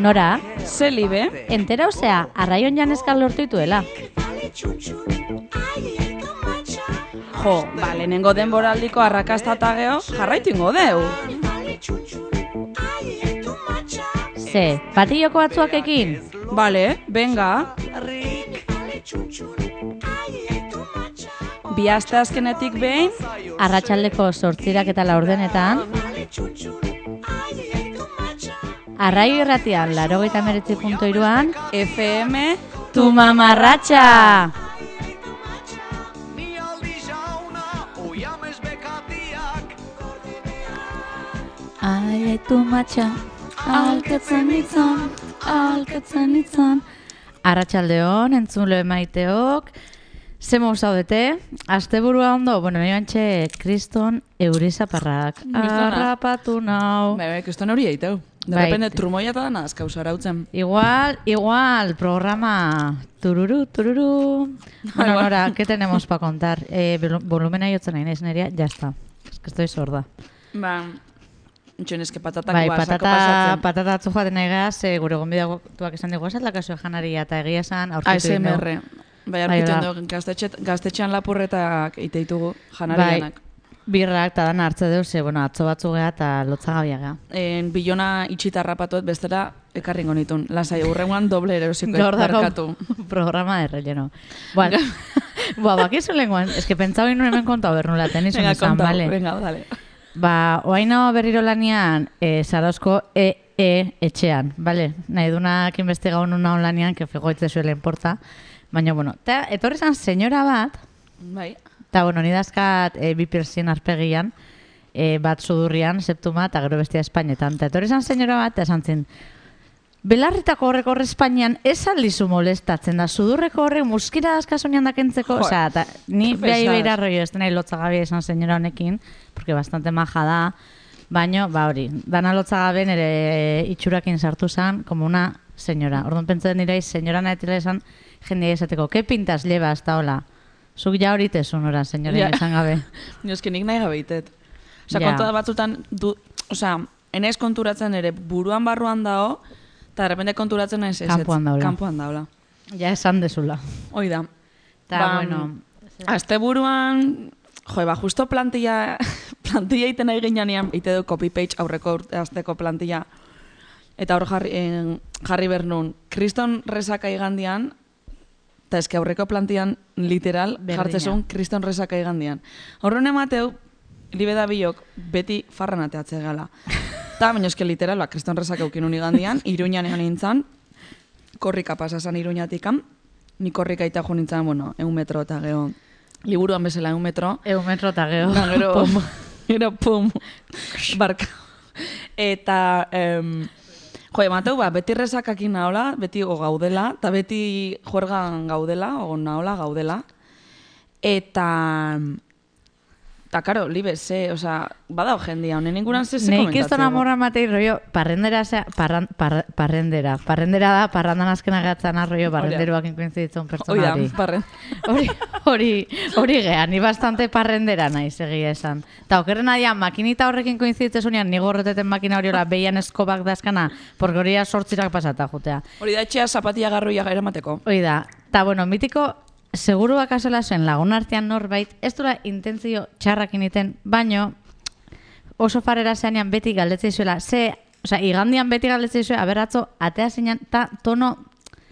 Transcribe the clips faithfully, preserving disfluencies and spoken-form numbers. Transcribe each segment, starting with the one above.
Nora? Zelibe? Entera osea, arraion janezkal lortu dituela. Jo, ba, lehenengo denboraldiko arrakasta eta geho, jarraitu ingo deu. Ze, patilloko batzuakekin? Bale, venga. Bi aste azkenetik behin, Arratsaldeko zortzirak eta laurdenetan, Arraio irratian, laurogeita hemeretzi puntu hiruan, F M, tu mamarratxa! Ai, tu matxa, alkatzen itzan, alkatzen itzan. Arratsaldeon, entzule maiteok, ze mou zaudete? Asteburua ondo, bueno, nahi bantxe, kriston eurizaparrak. Arrapatu nau. Bai, bai, kriston hori eiteu. De repente, trumoia eta dana azkauz arautzen. Igual, igual, programa tururu, tururu. Bueno, Nora, ¿qué tenemos para contar? Eh, volumena jotzen nahi naiz nerea, ya está. Es que estoy sorda. Ba, entxuen eske patatak bai, guazako patata, pasatzen. patata atzu joaten nahi gaz, e, gure gonbidatuak esan dugu esat lakaso janaria eta egia esan A aurkitu S M R. dindu. Bai, aurkitu dugu, gaztetxe, gaztetxean lapurretak iteitugu janarianak. Bai, birrak eta dana hartze deu, ze, bueno, atzo batzu geha eta lotzagabia geha. En bilona itxita rapatuet bestela ekarringo nitun. Lasai, urrengoan doble erosiko barkatu. Programa de relleno. Bueno, ba, bakizu lenguan, es que pentsau inun hemen kontau bernula, tenizun Venga, esan, kontau, vale? venga, dale. Ba, oaino berriro lanian, e, Zarauzko E E etxean, bale? Nahi dunak investigau nuna onlanian, que figoitze zuela importa. Baina, bueno, eta etorri zan senyora bat, Bai. eta, bueno, nidazkat e, bi persien arpegian, e, bat sudurrian, septuma, eta gero bestia Espainetan. Eta etorri zan senyora bat, eta esan zin, belarritako horrek horre Espainian ez aldizu molestatzen da, sudurreko horrek muskira askasonian dakentzeko, osea, eta ni behai behira rollo, ez denai lotzagabia esan senyora honekin, porque bastante maja da, baino, ba hori, dana lotzagabe nire itxurakin sartu zan, como una senyora. Orduan pentsatzen dira, senyora nahetila esan, jendea esateko, ke pintas llevas, eta hola, zuk ja hori tezun ora, senyora esan gabe. Ni eski nik nahi gabe itet. Osa, Ja. kontua batzutan, du, osa, enez konturatzen ere buruan barruan dao, eta de repente konturatzen ez ez. Kanpoan daula. Kanpoan daula. Ja esan dezula. Hoi da. Eta, Ba, bueno, Azte buruan, jo, ba, justo plantilla, plantilla iten nahi ginean, ite du copy-page aurreko urte azteko plantilla, eta hor jarri, en, jarri bernun, kriston resaka igandian, eta eske aurreko plantian literal Berdina. jartzezun kriston resaka igandian. Horren emateu, libeda biok beti farran ateatze gala. Eta, baina eske literal, ba, kriston resaka eukin igandian, Iruñan egan nintzen, korrika pasazan Iruñatikan, ni korrika ita jo nintzen, bueno, eun metro eta geho, liburuan bezala eun metro. egun metro eta geho. Da, gero, pum. Gero, pum. Barka. Eta, em, jo, emateu, ba, beti resakakin nahola, beti o gaudela, eta beti juergan gaudela, o nahola gaudela. Eta, eta, karo, libe, ze, oza, badao jendia, honen inguran ze ze Neik komentatzeko. ez dona morra matei rollo, parrendera, zea, parran, par, parrendera. Parrendera da, parrandan azkena gatzan arroio, parrenderuak inkoinziditzen pertsona Hoi hori. da, parren. Hori, hori, hori geha, ni bastante parrendera naiz egia esan. Ta okerren adian, makinita horrekin koinziditzezunean, nigo horreteten makina hori hola behian eskobak dazkana, porque hori sortzirak pasata jutea. Hori da etxea zapatia garroia eramateko. Hori da, ta bueno, mitiko, seguru bakasola zen lagun artean norbait, ez dura intentzio txarrakin iten, baino, oso farera zeanean beti galdetzei zuela, ze, osea, igandian beti galdetzei zuela, aberratzo, atea zinean, ta tono,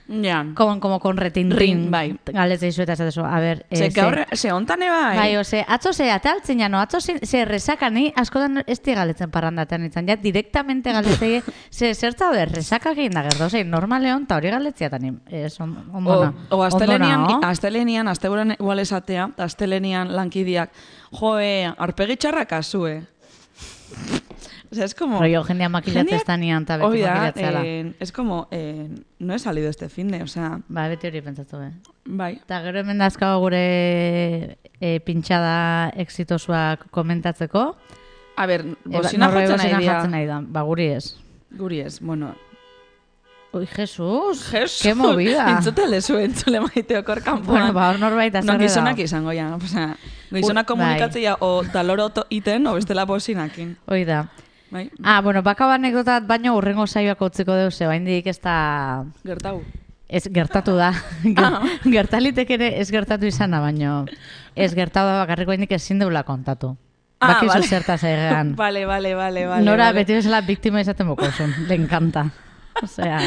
Ja. como, como con retintin, Rin, bai. galdetzei zuela, eta esatezu, a ber, Ze, eh, gaur, ze hontan bai. Bai, ose, atzo ze, ataltzen jano, atzo ze, ze resaka, ni askotan ez di galetzen parrandatean izan, ja, direktamente galetzei, ze, zertza ber, resaka egin da gerdo, ze, normaleon, eta hori galdetziatan, ez, on, ondona. O, o astelenian, ondona, oh? astelenian, asteburuan igual esatea, eta astelenian lankidiak, joe, arpegi txarrak azue. O sea, es como... Rollo, jendea makilatzen ez danian, eta beti Hoi da, makilatzela. eh, es como, eh, no he salido este finde, o sea, Ba, beti hori pentsatu, be. bai. Eta gero hemen dazkago gure e, pintxada exitosuak komentatzeko. A ber, E, bozina norbe jotzen bozina nahi dira. jartzen nahi da, ba, guri ez. Guri ez, bueno. Ui, Jesus, Jesus, qué movida. Entzute lezu, entzule maiteok hor kanpoan. Bueno, ba, hor norbait No, azerre gizonak da. izango, ja. O sea, gizonak Ui, komunikatzea o daloro iten, o bestela bozinakin. Hoi da. Bai. Ah, bueno, bakau anekdotat baino urrengo saioak utziko deuz, oraindik ez da... Gertau. Ez gertatu da. Gertalitek ere ez gertatu izana, baino ez gertatu da bakarriko indik ezin deula kontatu. Ah, Bakizu vale. zertaz egan. Vale, vale, vale, vale. Nora vale. beti bezala biktima izaten bokozun. Le encanta. Osea...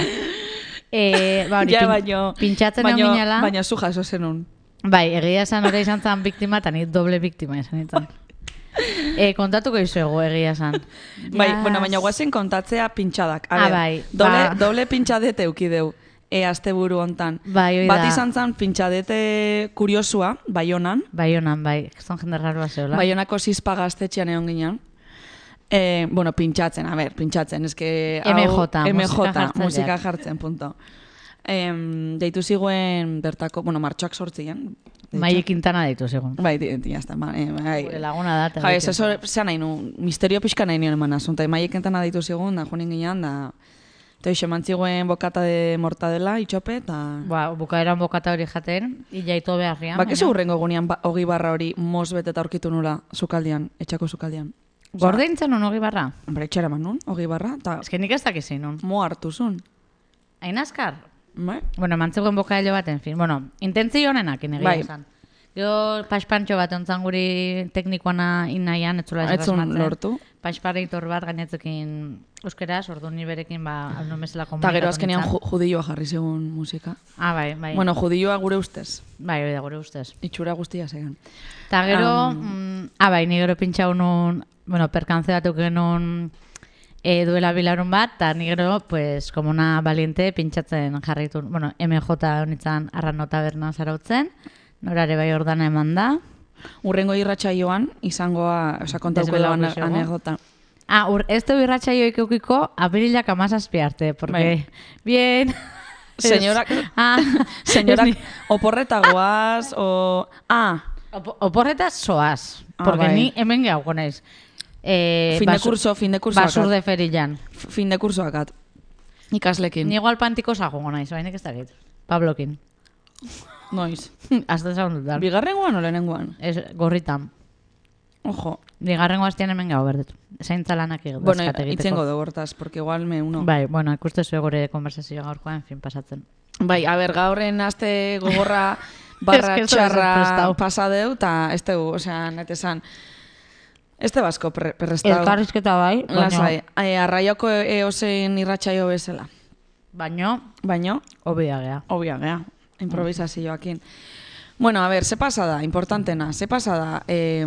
Eh, ba, hori, Ja, pin- baino, pintxatzen baino, egon ginela. baina zu jaso zenun. Bai, egia esan hori izan zen biktima, eta ni doble biktima izan izan. E, kontatuko izuegu egia esan. Bai, Yes. bueno, baina guazen kontatzea pintxadak. A Ah, ber, bai, doble, ba. doble pintxadete eukideu, e asteburu hontan. Bai, hoi Bat da. izan zen pintxadete kuriosua, Baionan. Bai honan, bai. Zon jende raroa zeola. Baionako zizpa gaztetxean egon ginen. Eh, bueno, pintxatzen, a ber, pintxatzen, eske... hau- M J, M musika J, jartzaileak. musika jartzen, punto. Em, deitu ziguen bertako, bueno, martxoak sortzien. Mai Quintana ditu zigun. Bai, di, di, jazta, ba, eh, bai. Gure laguna da. eta Ja, bai, ez, eso, zean nahi nu, misterio pixka nahi nion eman azun, eta maiek entana ditu zigun, da joan ginean, da... Eta hoxe, mantziguen bokata de mortadela, itxope, eta... Ba, bukaeran bokata hori jaten, ilaito beharrian. Ba, kezu hurrengo gunean ba, ogi barra hori mos beteta aurkitu nula sukaldian, etxako sukaldian. Gordeintzen un hogi barra? Hombre, etxera eman nun, ogi barra, eta Ez que nik ez dakizein nun. mo hartu zun. Hain azkar? Bai? Bueno, mantzegoen bokailo bat, en fin. Bueno, intentzio honenak egia Bai. esan. Gero paspantxo bat ontzan guri teknikoana inaian, etzula ez Etzun errasmatzen. lortu. Pasparitor bat gainetzekin euskeraz, ordu ni berekin ba, aldo mesela Eta komunikatu gero azkenean nintzen. ju judioa jarri zegoen musika. Ah, bai, bai. Bueno, judioa gure ustez. Bai, hori da gure ustez. Itxura guztia zegan. Eta gero, Um, mm, ah, bai, ni gero pintxau nun, bueno, perkantze batuk genuen e, duela bilarun bat, eta ni gero, pues, como una valiente pintxatzen jarritu, bueno, M J honitzen arrano taberna zarautzen, norare bai ordana eman da. Urrengo irratsaioan izangoa, osea, kontauko Desvelatu da izango. anekdota. Ah, ur, ez du irratxaioik eukiko apirilak amazazpi arte, porque, Bai. bien... Señorak, Ah, señorak, ni- oporretagoaz, o... Ah, Opo- Oporretaz soaz, Ah, porque bai. ni hemen gehuko naiz. Eh, fin de basu- curso, fin de curso Basur akat. de ferillan. Fin de curso akat. Ikaslekin. Ni igual pantiko zagongo naiz, bainik ez dakit. Pablokin. Noiz. Azte zaun dut da. Bigarrengoan o lehenengoan? Ez, gorritan. Ojo. Bigarrengo astean hemen gau berdet. Zaintza lanak egiteko. Bueno, itzengo dugu hortaz, porque igual me uno. Bai, bueno, ikuste zuen gure konversazioa gaurkoa, en fin, pasatzen. Bai, a ber, gaurren aste gogorra barra Ez que ez da txarra prestau. pasadeu, eta ez tegu, osea, net esan, ez te basko pre prestau. Elkarrizketa bai, baino, Lasai, e, arraioko eozein irratsaio bezala. baino, Baino, obia gea. obvia, gea, improvisazioakin. Bueno, a ber, ze pasada, importantena, ze pasada, eh,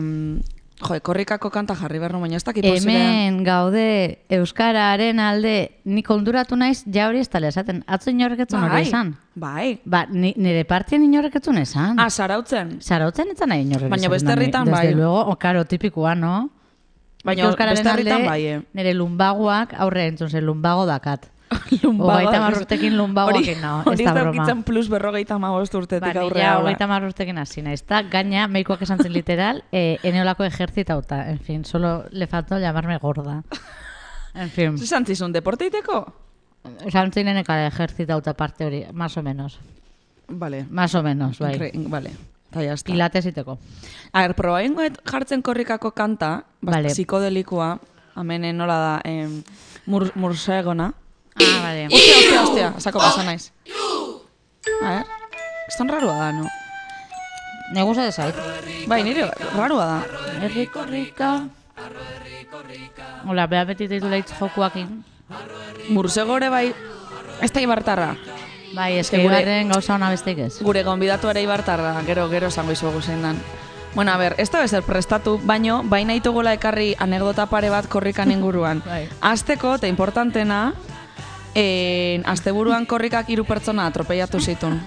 jo, korrikako kanta jarri behar nu, baina ez dakit posible. Hemen gaude Euskararen alde, nik onduratu naiz, ja hori ez tala esaten. Atzo inorreketzun hori esan. Bai, Ba, ni, nire partien inorreketzun esan. ah, zarautzen. Zarautzen ez nahi inorrek Baina esaten beste da, ni- herritan desde bai. luego, o, karo, tipikoa, no? Baina Nik Euskararen beste herritan alde, bai, eh. Nire lumbagoak aurre entzun zen, lumbago dakat. Lumbago Hogeita da- hamar urtekin lumbagoakin nao, ez Hori da ez broma. daukitzen plus berrogeita hamabost urtetik Ba, ni aurrera. ja hola. hogeita hamar urtekin hasi naiz. Ta gaina, meikoak esan zen literal, eh, eneolako ejertzitauta. En fin, solo le faltó llamarme gorda. En fin, Zizan zizun, deporteiteko? esan zineneka ejertzitauta parte hori, más o menos. Vale. Más o menos, bai. Incre- Vale. Eta ya está. Pilates iteko. A ver, probaingoet jartzen korrikako kanta, Vale. psikodelikoa, amenen nola da, em, mur, mursegona. Ah, vale. Ostia, ostia, ostia, sako pasa naiz. A ver, estan rarua da, no? Ne gusta de zait. Bai, nire rarua da. Herriko rika. Hola, beha beti ditu leitz jokuakin. Mursegore bai, ez da ibartarra. Bai, ez Eske que gure- ibarren gauza hona besteik ez. Gure gonbidatu ere ibartarra, gero, gero esango izugu zein dan. Bueno, a ver, ez da bezer prestatu, baino, baina itugula ekarri anekdota pare bat korrikan inguruan. Bai. Azteko, eta importantena, eh, asteburuan korrikak hiru pertsona atropellatu zitun.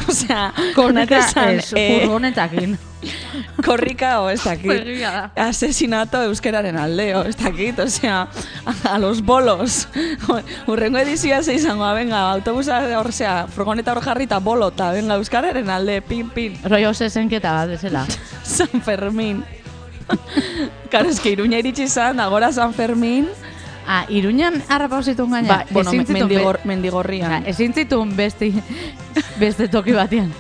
Osea, Korrika esan, ez, eh, furgonetakin. korrika o ez dakit. Egia da. Asesinato euskeraren aldeo, ez dakit, osea, a los bolos. Urrengo edizioa ze izango, venga, autobusa, orzea, furgoneta hor jarrita bolota, venga, euskararen alde, pin, pin. Rollo zesenketa bat bezala. San Fermín. Karo, eske Iruña iritsi zan, agora San Fermín. Ah, Iruñan harrapau zituen gaina. Ba, bueno, Ezin zituen mendigor, be- mendigorrian. Osea, ezin zituen beste, beste toki batean.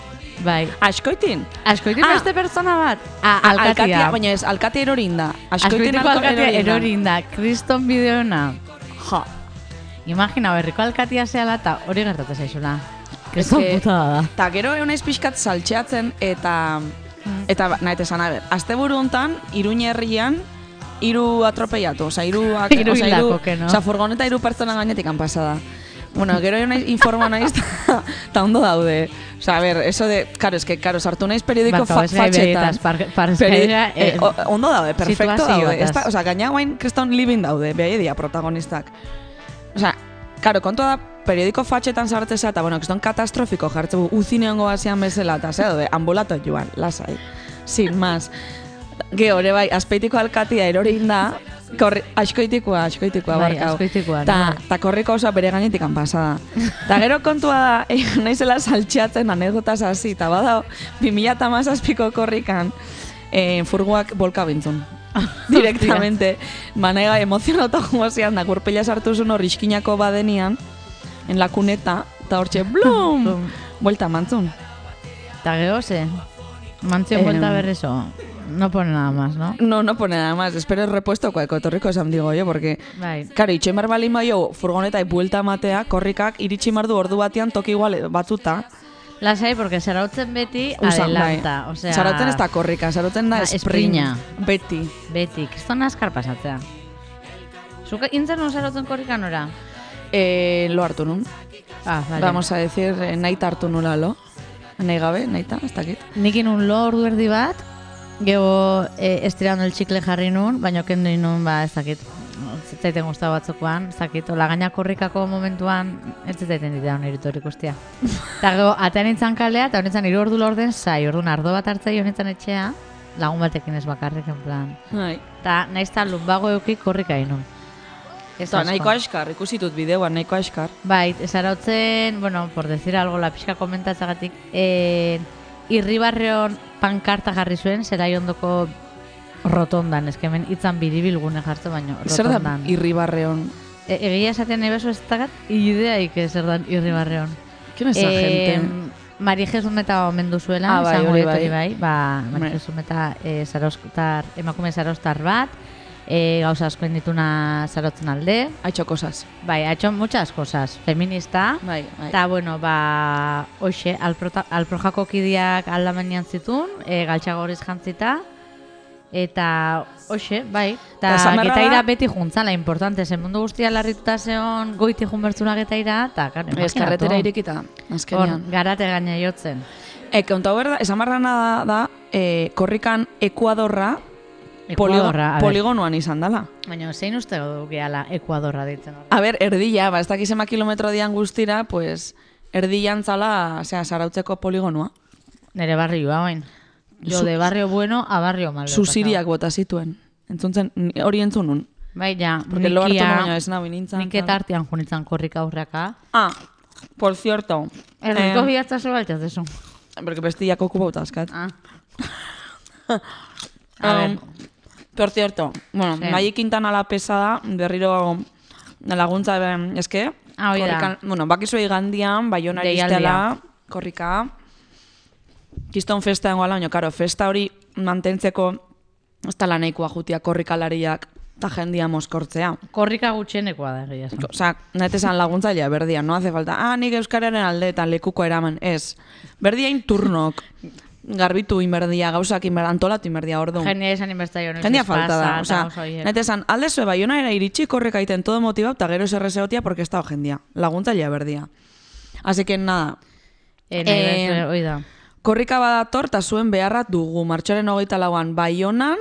Bai. Askoitin? Askoitin Ah. beste pertsona bat? Ah, A- alkatia. Alkatia, baina ez, alkatia erorin da. Askoitin Askoitiko alkatia erorin da. erorin da. Kriston bideona. Ja. Imagina, berriko alkatia zehala eta hori gertatzen zaizula. Kriston Eske- putada da. Ta gero egon naiz pixkat saltxeatzen eta... Eta, ba, nahi esan, a ber, asteburu hontan, Iruña herrian, hiru atropellatu, oza, hiru... Hiru hildako, que no? Oza, furgoneta hiru pertsona gainetik han pasada. Bueno, gero egon naiz informa naiz, eta ondo daude. Oza, a ber, eso de, karo, es que, karo, sartu naiz periodiko fa fatxetan. Parezkaidea, Eh, o- ondo daude, perfecto daude. situazioetaz. Esta, oza, gaina guain kriston living daude, behai dia protagonistak. Oza, karo, kontua da, periodiko fatxetan sartzea, eta, bueno, kriston katastrofiko jartzeu uzine hongo bazian bezala, eta ze daude, ambulato joan, lasai. Sin más. Ge, hori bai, azpeitiko alkatia erorin da, korri, askoitikoa, askoitikoa, Bai, barkau. askoitikoa, Ta, no? ta korriko oso bere gainetik han pasada. Ta gero kontua da, eh, naizela saltxeatzen anekdotaz hasi, eta badao, bi mila hamazazpiko korrikan, eh, furgoak bolka bintzun. Directamente. Manega emozionauta jongo zian, da gurpila sartu zuen hor iskinako badenian, en la cuneta, eta hortxe, blum, Blum. buelta mantzun. Eta gero ze, mantzio Eh, vuelta berrezo. No pone nada más, ¿no? No, no pone nada más. Espero el repuesto cuaeko etorriko esan digo yo, porque... Bai. Karo, itxoin behar balin baio furgoneta buelta matea, korrikak iritsi mardu ordu batean toki igual batzuta. Lasai, porque zarautzen beti Usan, adelanta. bai. O sea, Zarautzen ez da korrika, zarautzen da Ah, sprint. esprina. Beti. Beti, kriston askar pasatzea. Zuka intzen nun zarautzen korrikan ora? Eh, lo hartu nun. Ah, vale. Vamos a decir, eh, naita hartu nula lo. Nahi gabe, naita, ez dakit. Nik inun lo ordu erdi bat, gero eh, estirando el txikle jarri nun, baina kendu inun, ba, ez dakit, zitzaiten guztau batzukoan, ez dakit, ola gaina korrikako momentuan, ez zitzaiten ditea honirutu hori ikustia. Eta gero, atean nintzen kalea, eta honetan hiru ordu lorden zai, ordu ardo bat hartzai honetan etxea, lagun batekin ez bakarrik, en plan. Bai. Eta naizta lumbago eukik korrika inun. Ez Eta asko. nahiko askar, ikusitut bideoan nahiko askar. Bai, zarautzen, bueno, por decir algo, la pixka komentatzagatik, eh, irribarreon pankarta jarri zuen, zelai ondoko rotondan, ez hemen itzan biribilgune jartzen, baino, Zer da rotondan. irribarreon? E, egia esaten nahi bezu ez dakat, ideaik zer dan irribarreon. Kien eza gente? Mari Jesumeta omendu zuela, Ah, bai, esango hori dut bai. hori bai, ba, Mari Hombre. Jesumeta eh, zarauztar, emakume zarauztar bat, eh, gauza asko indituna zarautzen alde, Haitxo cosas. bai, ha hecho muchas cosas, feminista, Bai, bai. eta, bueno, ba, hoxe, alprota- alprojako kidiak aldamenean zitun, e, galtxagoriz jantzita, eta, hoxe, bai, Ta eta esan beharra getaira da- beti juntzala, importante, zen mundu guztia larrituta zeon goiti junbertzuna getaira, eta, karo, Ez karretera irekita, Hor, azkenean. garate gaina jotzen. E, kontau berda, esan barrana da, da e, korrikan Ekuadorra Ekuadorra, a ber. poligonoan izan dela. Baina, zein uste du gehala Ekuadorra ditzen hori? A ber, erdila, ba, ez dakiz ema kilometro dian guztira, pues, erdilan zala, osea, zarautzeko poligonoa. Nere barrioa, bain. Jo, Zu- de barrio bueno a barrio malo. Zuziriak bota zituen. Entzuntzen, ni- hori entzun nun. Bai, ja, Porque lo hartu nikia- baina ez nabi nintzen. Nik eta artean junitzen korrika aurreaka. Ah, por cierto. Erriko eh, bihatza zo baltaz desu. Porque bestiak okupauta askat. Ah. A ver. Um, por cierto, bueno, Sí. Maia Quintana la pesada, berriro laguntza ben, eske, Ah, hoi da. korrikan, bueno, bakizu igandian, Baiona Deialdia. iristela, korrika, kiston festa dengoala, baina, karo, festa hori mantentzeko, ez da nahikoa jutia korrikalariak eta jendia moskortzea. Korrika gutxienekoa da, egia esan. Osea, nahet esan laguntzailea berdia, no hace falta, ah, nik euskararen alde eta lekuko eraman, ez. Berdiain turnok, garbitu inberdia, gauzak inberdia, antolatu inberdia, orduan. Jendia esan inbertzaio noiz Jendia ez falta da, pasa, osea, eta oso horiek. nahet esan, alde zue Baiona era iritsi korreka iten todo motivau, eta gero zer egotia porque ez dago jendia. Laguntzailea berdia. Así que nada, Eh, nahi eh, bezue, hoi da. korrika badator eta zuen beharrat dugu, martxoaren hogeita lauan Baionan,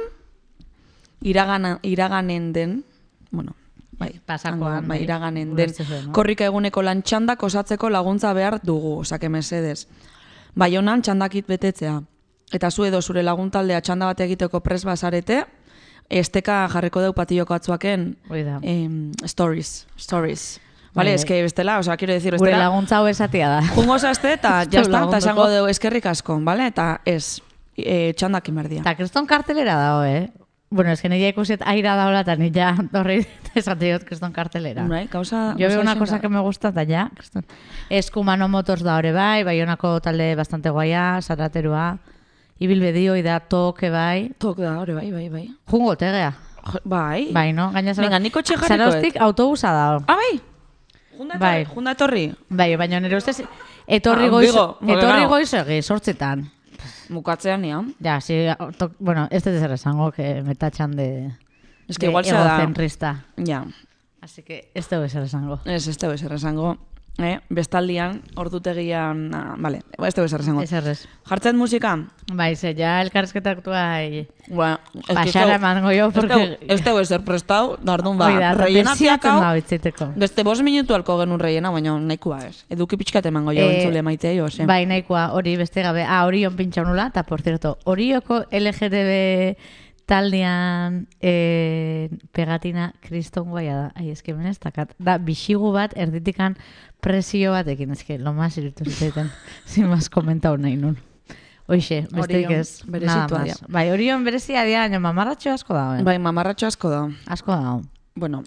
iragana, iraganen den, bueno, bai, Pasakoan, hango, bai, bai, iraganen den, ulertzen zuen, no? korrika eguneko lan txandak osatzeko laguntza behar dugu, osake mesedez. Baionan txandakit betetzea. Eta zu edo zure laguntaldea txanda bat egiteko pres bazarete, esteka jarriko deu patilloko atzuaken Hoi da. em, stories, stories. Vale, Bai, es que bestela, o sea, quiero decir, Gure bestela, laguntza hau esatia da. jungo zazte eta Zeu jazta, eta lagunduko. esango deu eskerrik asko, vale? Eta ez, e, txandakin berdia. Eta kriston kartelera dago, eh? bueno, es que nire ikusiet aira daula, eta nire ja horri esatiot kriston kartelera. Bai, gauza... Yo veo una cosa que me gusta, eta ja, kriston. Eskumano Motors da hori bai, Baionako talde bastante guaia, Zaraterua, Ibilbedio, ida toke bai. Tok da, hori bai, bai, bai. Jungo tegea. Bai. Bai, no? Gaina Venga, niko txe jarrikoet. Zarostik autobusa da. Ah, bai? Junda Bai. Junda etorri? Bai, baina nire ustez, etorri Ah, goiz, Vigo, etorri bueno. goiz egi, sortzitan. Mukatzean nian. Ja, si, to, bueno, ez dut ezer esango, que me tachan de, Es que de igual sea da... egocentrista. Ja. Así que ez dut ezer esango. Ez, ez teu ezer esango. Eh? Bestaldian, ordutegian... Ah, vale, ez teu ezer esango. Ez errez. Jartzen musika? Bai, ze, ja elkarrizketa aktuai... Bueno, ez que ez Baxara teu- emango jo, ez porque... teu- Ez teu ezer prestau, dardun ba, Oida, rellena tapesiatzen piakau, da bitziteko. beste bost minutu alko genuen rellena, baina nahikoa ez. Eduki pixkat emango jo, Eh, entzule maite jo, ze. Bai, nahikoa, hori beste gabe. Ah, Orion pintxa nula, eta por cierto, Orioko L G T B taldean eh, pegatina kriston guaia da. Ai, eske menez, takat. Da, bixigu bat, erditikan presio batekin, eske, lo más iritu ziteten, sin más komentau nahi nun. Hoixe, besteik Orion, ez, nada berezitua más. dira. Bai, Orion berezia dira, baina mamarratxo asko da, eh? Bai, mamarratxo asko da. Asko da. Bueno,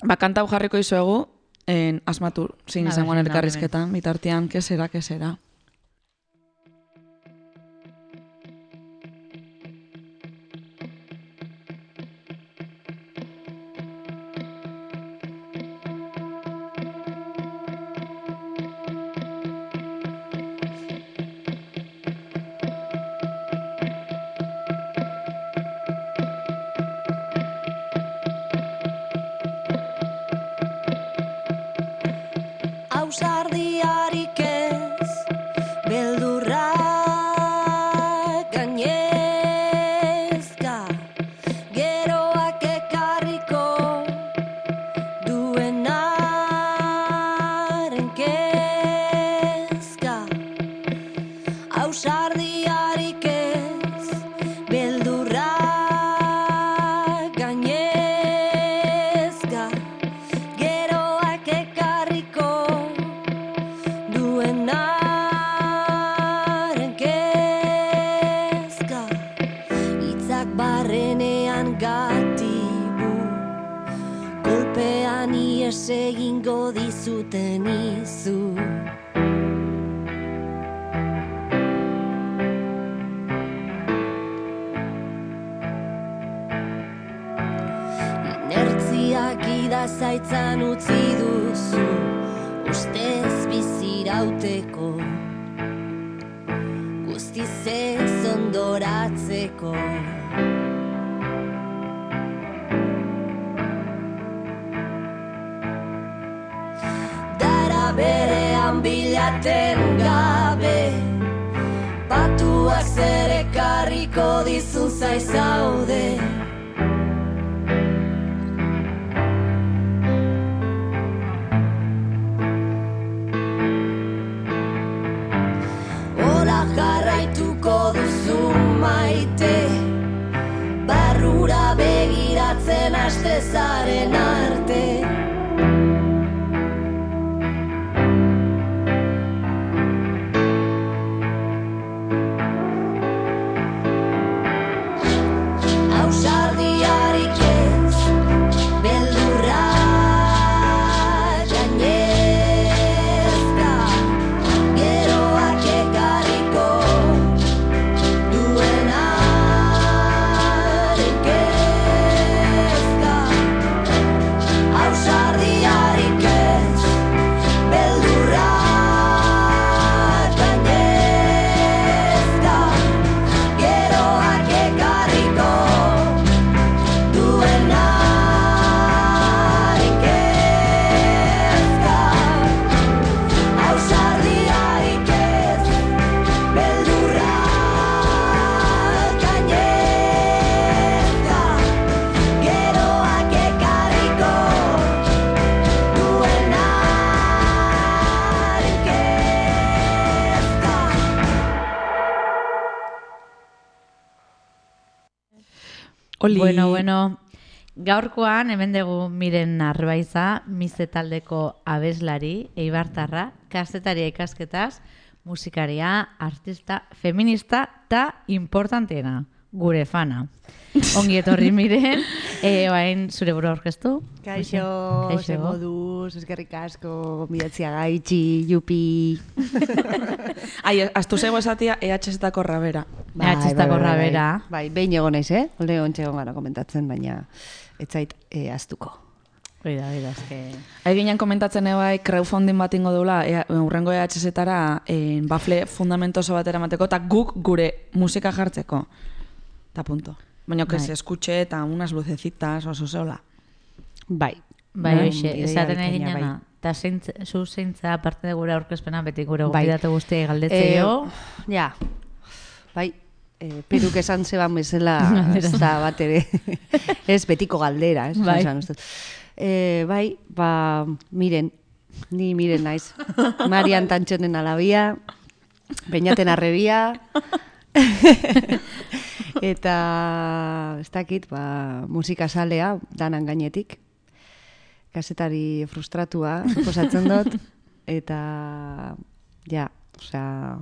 ba, kanta hau jarriko izuegu, en asmatu, zin A izangoan ver, elkarrizketan, bitartean, kesera, kesera. Ausardiarik ez, beldurra gainezka, geroak ekarriko duenaren kezka. Ausardiarik ez, beldurra gainezka, geroak ekarriko duenaren kezka. Hitzak barrenean gatibu, kolpean ies egingo dizuten izu. Inertziak idazaitzan utzi duzu, ustez bizirauteko, guztiz ez ondoratzeko. Dara berean bilaten gabe, patuak zer ekarriko dizun zaizaude. Hola jarraituko duzu maite, barrura begiratzen haste zaren arte. Ausardiarik ez, beldurra gainezka, geroak ekarriko duenaren kezka. Ausardiarik ez, beldurra gainezka, geroak ekarriko duenaren kezka. Ausardiarik ez, beldurra gainezka, geroak ekarriko duenaren kezka. Oli. Bueno, bueno, gaurkoan hemen dugu Miren Arbaiza, Mize taldeko abeslari, eibartarra, kazetaria ikasketaz, musikaria, artista, feminista eta importanteena, gure fana. Ongi etorri Miren, e, bain zure burua aurkeztu. Kaixo, Kaixo. ze moduz, eskerrik asko, midatzia gaitxi, jupi. Ai, astu zego esatia E H Z-tako rabera. E H Z-tako rabera. Bai, behin egon naiz, eh? Ole ontxe egon gara komentatzen, baina ez zait e, aztuko. Oida, oida, eske... Hai ginen komentatzen ebai crowdfunding bat ingo dula e, urrengo E H Z-tara e, bafle fundamentoso batera mateko, eta guk gure musika jartzeko. Ta punto. Baina que Bai. se escuche eta unas lucecitas oso zeola. Bai. Bai, Bai, hoxe, ideia esaten nahi bikaina, ginena. Eta zu zeintza, aparte de gure aurkezpena, beti gure Bai. gobidate guztiai galdetzeo. Eh, ja, bai, eh, peruk esan zeban bezala, ez da bat ere, ez betiko galdera, ez? Bai. Esan, uste. Eh, bai, ba, miren, ni miren naiz. Marian Tantxonen alabia, Beñaten arrebia, eta ez dakit, ba, musika salea, danan gainetik, kasetari frustratua, suposatzen dut, eta, ja, osea,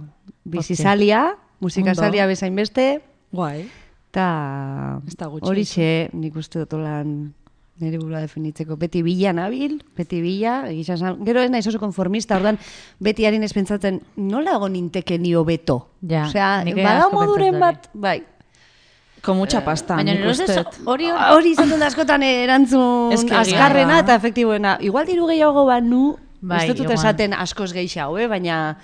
bizizalia, musika Ondo. salia bezain beste, Guai. eta Ez da gutxi horixe nik uste dut lan nire burua definitzeko. Beti bila nabil, beti bila, egisa esan, gero ez naiz oso konformista, orduan beti harin ez pentsatzen, nola egon ninteke nio beto? Ja, Osea, nik ere bada asko moduren pentsatu bat, bai. Con mucha pasta, Baina nik nire uste. ustez hori Hori izan dut askotan erantzun Ez que egia azkarrena da. eta efektiboena. Igual diru gehiago banu, Bai, ez dut igual. esaten askoz gehiago, eh? Baina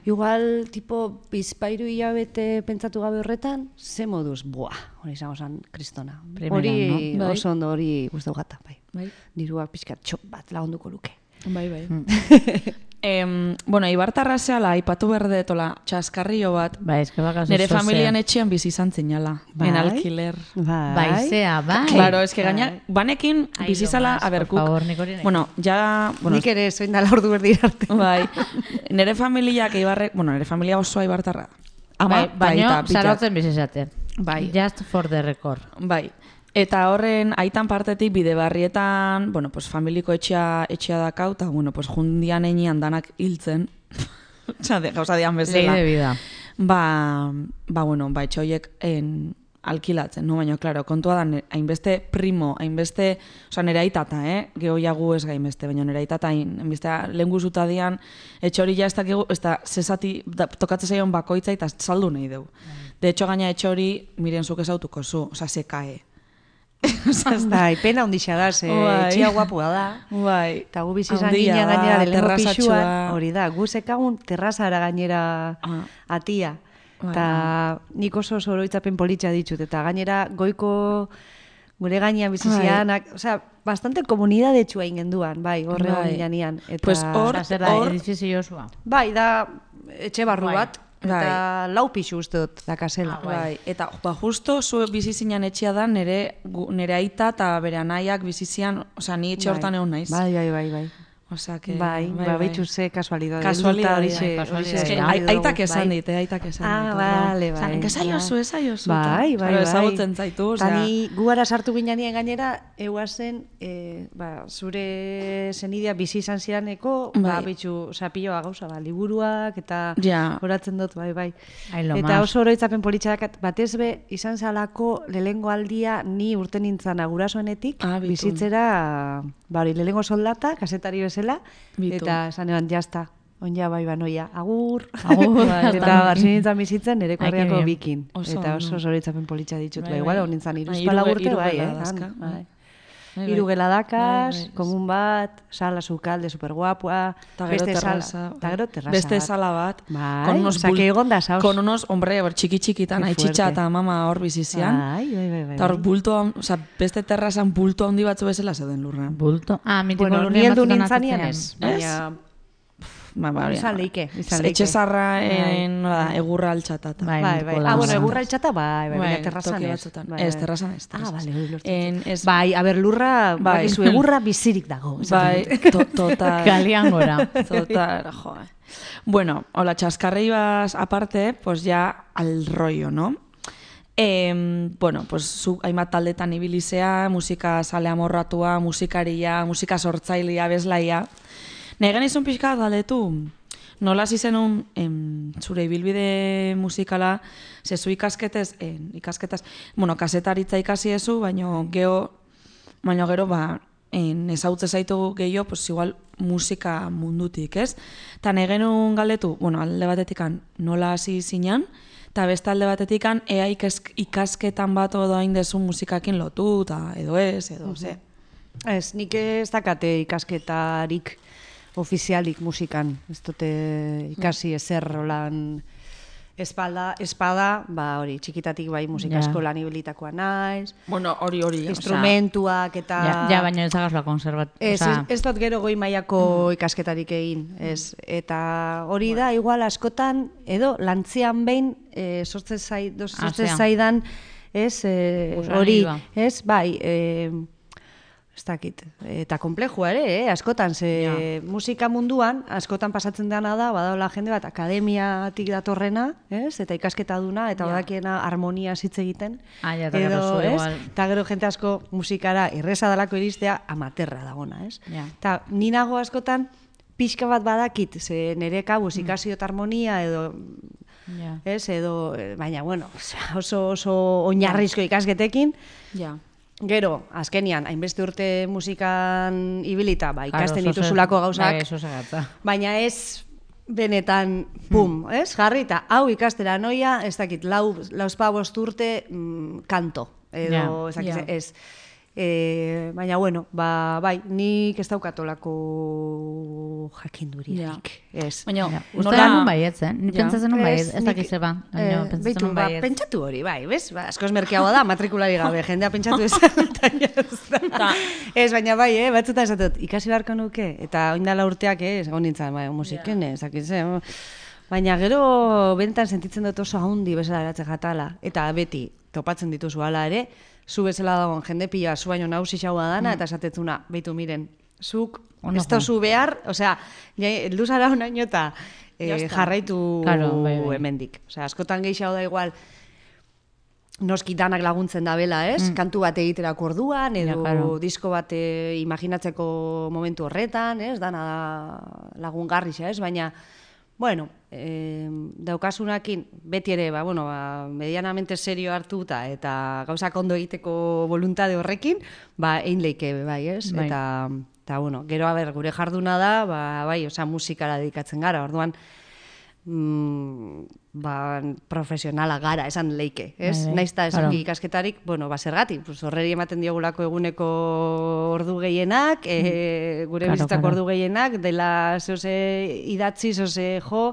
igual tipo bizpairu hilabete pentsatu gabe horretan, ze moduz, buah, hori izango zen kristona. Primera, Hori no? Bai. oso ondo hori guztau gata, bai. Bai. Diruak pixkat txop bat lagunduko luke. Bai, bai. em, bueno, Ibartarra zehala, aipatu berdetola, txaskarrio bat, Bai, eske bakazu nire zozea. familian etxean bizi izan zinala, Bai. en alquiler. Bai. Bai, zea, bai. Claro, es que gaina, Bai. banekin Ai, bizizala, lo más, a ber, por guk, favor, nik hori nahi. bueno, ja, bueno, Nik ere zoin dala ordu berdira arte. bai, nire familiak Ibarrek, bueno, nire familia osoa Ibartarra. Ama, Bai, eta baino, aita, bitak. zarautzen bizizaten. Bai. Just for the record. Bai. Eta horren aitan partetik bide barrietan, bueno, pues familiko etxea etxea dakau, eta bueno, pues jundian einean danak hiltzen. Osea, de gauza dian Ley bezala. de vida. Ba, ba bueno, ba etxe horiek en alkilatzen, no? Baina, claro, kontua da, ne- hainbeste primo, hainbeste, osea, nire aitata, eh? Geho jagu ez gainbeste, baina nire aitata, hain- hainbeste lehen guzuta dian, etxe hori ja ez dakigu, ez da, zezati, da, tokatzen zaion bakoitza eta saldu nahi dugu. De hecho, gaina etxe hori, miren zuk ezautuko zu, osea, se kae. Bai, pena ondixa da, ze Bai. etxia guapua da. Bai. Eta gu bizi izan Handia ginen da, gainera lehenko terrazatxua. pixuan, hori da, gu zekagun terrazara gainera Ah. atia. Bai. Eta nik oso zoroitzapen politxa ditut, eta gainera goiko gure gainean bizi Bai. zianak, osea, bastante komunidade txua ingenduan, bai, horre Bai. hori janean. Eta, Pues hor- Osea, zer da, hor- edifizio osua. bai, da etxe barru Bai. bat, eta lau pixu uste dut dakasela. Ah, bai. Bai, eta ba, justo zu bizi zinan etxea da nire, gu- nire aita eta bere anaiak bizi zian, osea, ni etxe hortan egon naiz. Bai, bai, bai, bai. Osea, que, Bai, ba, behitxu ze kasualidade. Kasualidade, Horixe- bai, kasualidade. horixe Es que Bai, ai- dugu, aitak esan bai. dit, eh, aitak esan dit. Ah, orduan. bale, bai. Osa, enkesaiozu, esaiozu. Bai, bai, Claro, bai. ezagutzen zaitu, Eta osea. ni guara sartu ginean gainera, euazen, e, ba, zure zenidia bizi izan ziraneko, ba, Bai. bitxu, osea, piloa gauza, ba, liburuak, eta Ja. horatzen dut, bai, bai. Ai, lo Eta más. oso oroitzapen politxadak, batez be, izan zalako lehengo aldia ni urte nintzen agurasoenetik, Ah, bitu. bizitzera, ba, hori, lehengo soldata, kasetari bezala, Bitu. eta esan eban, jazta, onja bai banoia, agur, Agur, eta bastante. barzi nintzen bizitzen nire Ai, korriako que bien. bikin. Oso Eta ondo. oso zoritzapen politxa ditut, Bai, bai, igual, bai. hon nintzen Bai, iruzpala hiru- urte, hiru bai, gela eh? dazka, han, bai. bai. Bai, bai. Hiru geladakaz, Bai, bai, komun bat, sala sukalde superguapua, Eta gero beste terraza. sala, eta gero terraza Beste bat. sala bat. Bai, con unos osea, bul- que egon da saos. Con unos, hombre, hor txiki txikitan, Qué aitxitxa fuerte. eta mama hor bizizian. Bai, bai, bai, bai. Eta hor bai. bulto, hon- osea, beste terrazan bulto handi batzu bezala zeuden lurrean. Bulto. Ah, mitiko Bueno, lurrien ni heldu batzutan nintzanean atzean. ez, baina Ba, ba, izan hori, leike, ba. izan leike. Etxe zarra, Bai. en, nola, egurra altxatata. Bai, Bai, mitiko bai. laua. Ah, bueno, egurra altxata, bai, bai, Bai, baina terrazan toki ez. batzutan. Bai, Ez, bai. terrazan ez, Ah, terrazan bale, ez. hori lortzen En, dut. ez, Bai, a ber, lurra, Bai. bakizu, egurra bizirik dago. bai, esaten dut. to, total. Kalian gora. Total, jo. Bueno, hola, chascarrillas aparte, pues ya al rollo, ¿no? Eh, bueno, pues zu hainbat taldetan ibilizea, musika sale amorratua, musikaria, musika sortzailea, bezlaia. Nahi genizun pixka galdetu, nola hasi zenun em, zure ibilbide musikala, ze zu ikasketez, en, ikasketaz, bueno, kasetaritza ikasi ezu, baino geho, baino gero, ba, en, ezautze zaitu gehiago, pues igual musika mundutik, ez? Ta negenun galdetu, bueno, alde batetikan nola hasi zinan, eta beste alde batetikan ea ikasketan bat edo hain dezu musikakin lotu, ta, edo ez, edo, ze. Ez, nik ez dakate ikasketarik ofizialik musikan, ez dute ikasi ezer rolan espalda, espada, ba hori, txikitatik bai musika Ja. eskolan ibilitakoa naiz, Bueno, hori, hori, instrumentuak eta... Ja, ja baina ez dagazla konservat. Ez, osea, ez, ez dut gero goi mailako ikasketarik egin, ez. Eta hori da, igual askotan, edo, lantzian behin, e, sortze zai, dos, sortze Asean. zaidan, ez, e, Gusanilua. hori, ez, bai, e, ez dakit, eta komplejua ere, eh? Askotan, ze musika munduan, askotan pasatzen dena da, badaola jende bat, akademiatik datorrena, ez, eta ikasketa duna, eta Ja. badakiena harmonia hitz egiten, Ah, ja, eta gero zu ez, igual. eta gero jente asko musikara erreza dalako iristea amaterra dagona, ez? Ja. Eta ni nago askotan pixka bat badakit, ze nire kabuz ikasio eta harmonia edo, Ja. ez, edo, eh, baina, bueno, oso, oso oinarrizko ikasketekin, Ja. gero, azkenian, hainbeste urte musikan ibilita, ba, ikasten Claro, oso dituzulako zer- gauzak, Bai, oso zegatza. baina ez benetan, pum, ez, jarri, eta hau ikastera noia, ez dakit, lau, lauzpa bost urte mm, kanto, edo, Ja, ez dakit, ja. ez. E, baina, bueno, ba, bai, nik ez daukatolako jakinduriarik, ez. Baina, Ja. Uste nola... da nun baietz, eh? Ni Ja. pentsatzen nun baietz, ez nik- dakiz eba. Baina eh, pentsatzen beitu, nun ba, baietz. pentsatu hori, bai, bez? Ba, askoz merkeagoa da, matrikulari gabe, jendea pentsatu esan, eta ez da. Ta- Ez, baina bai, eh, batzutan esatot, ikasi beharko nuke, eta oindala urteak, eh, egon nintzen, bai, musiken, ez dakiz, eh, baina gero bentan sentitzen dut oso haundi bezala eratze jatala, eta beti topatzen dituzu hala ere, zu bezala dagoen jende pila zu baino nausixagoa dana, eta esatetzuna, beitu miren, zuk Ono ez tozu behar, osea, ja, heldu zara honaino eta eh, Ya está. jarraitu Claro, bai, bai. hemendik. Osea, askotan gehiago da igual, noski danak laguntzen da bela, ez? Kantu bat egiterako orduan, edo Ja, claro. disko bat eh, imaginatzeko momentu horretan, ez? Dana da lagungarrixa, ez? Baina, bueno, eh, daukasunakin, beti ere, ba, bueno, ba, medianamente serio hartuta eta gauzak ondo egiteko voluntade horrekin, ba, egin leike, bai, ez? Bai. Eta, eta, bueno, gero, a ber, gure jarduna da, ba, bai, osea, musikara dedikatzen gara, orduan, mm, ba, profesionala gara, esan leike, ez? Bai, bai, Naiz eta esan claro. ikasketarik, bueno, ba, zergatik, pues, horreri ematen diogulako eguneko ordu gehienak, e, gure Claro, bizitzako claro. ordu gehienak, dela zehose idatzi, zehose jo,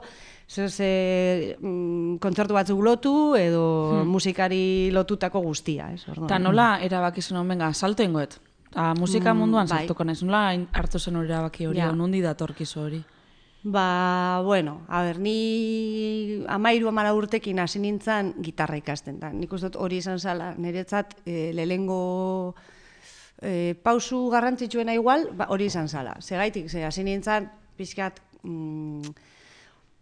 zehose mm, kontzertu batzuk lotu, edo musikari lotutako guztia, ez? Orduan. Eta nola erabaki zen venga, salto ingoet. Ta musika munduan bai. saltuko naiz. Nola hain hartu zen hori erabaki hori, Ja. yeah. Nundi datorkizu hori. Ba, bueno, a ber, ni amairu amara urtekin hasi nintzen gitarra ikasten. Da. Nik uste dut hori izan zala, niretzat e, lehengo e, pausu garrantzitsuena igual, ba, hori izan zala. Segaitik, ze hasi nintzen pixkat mm,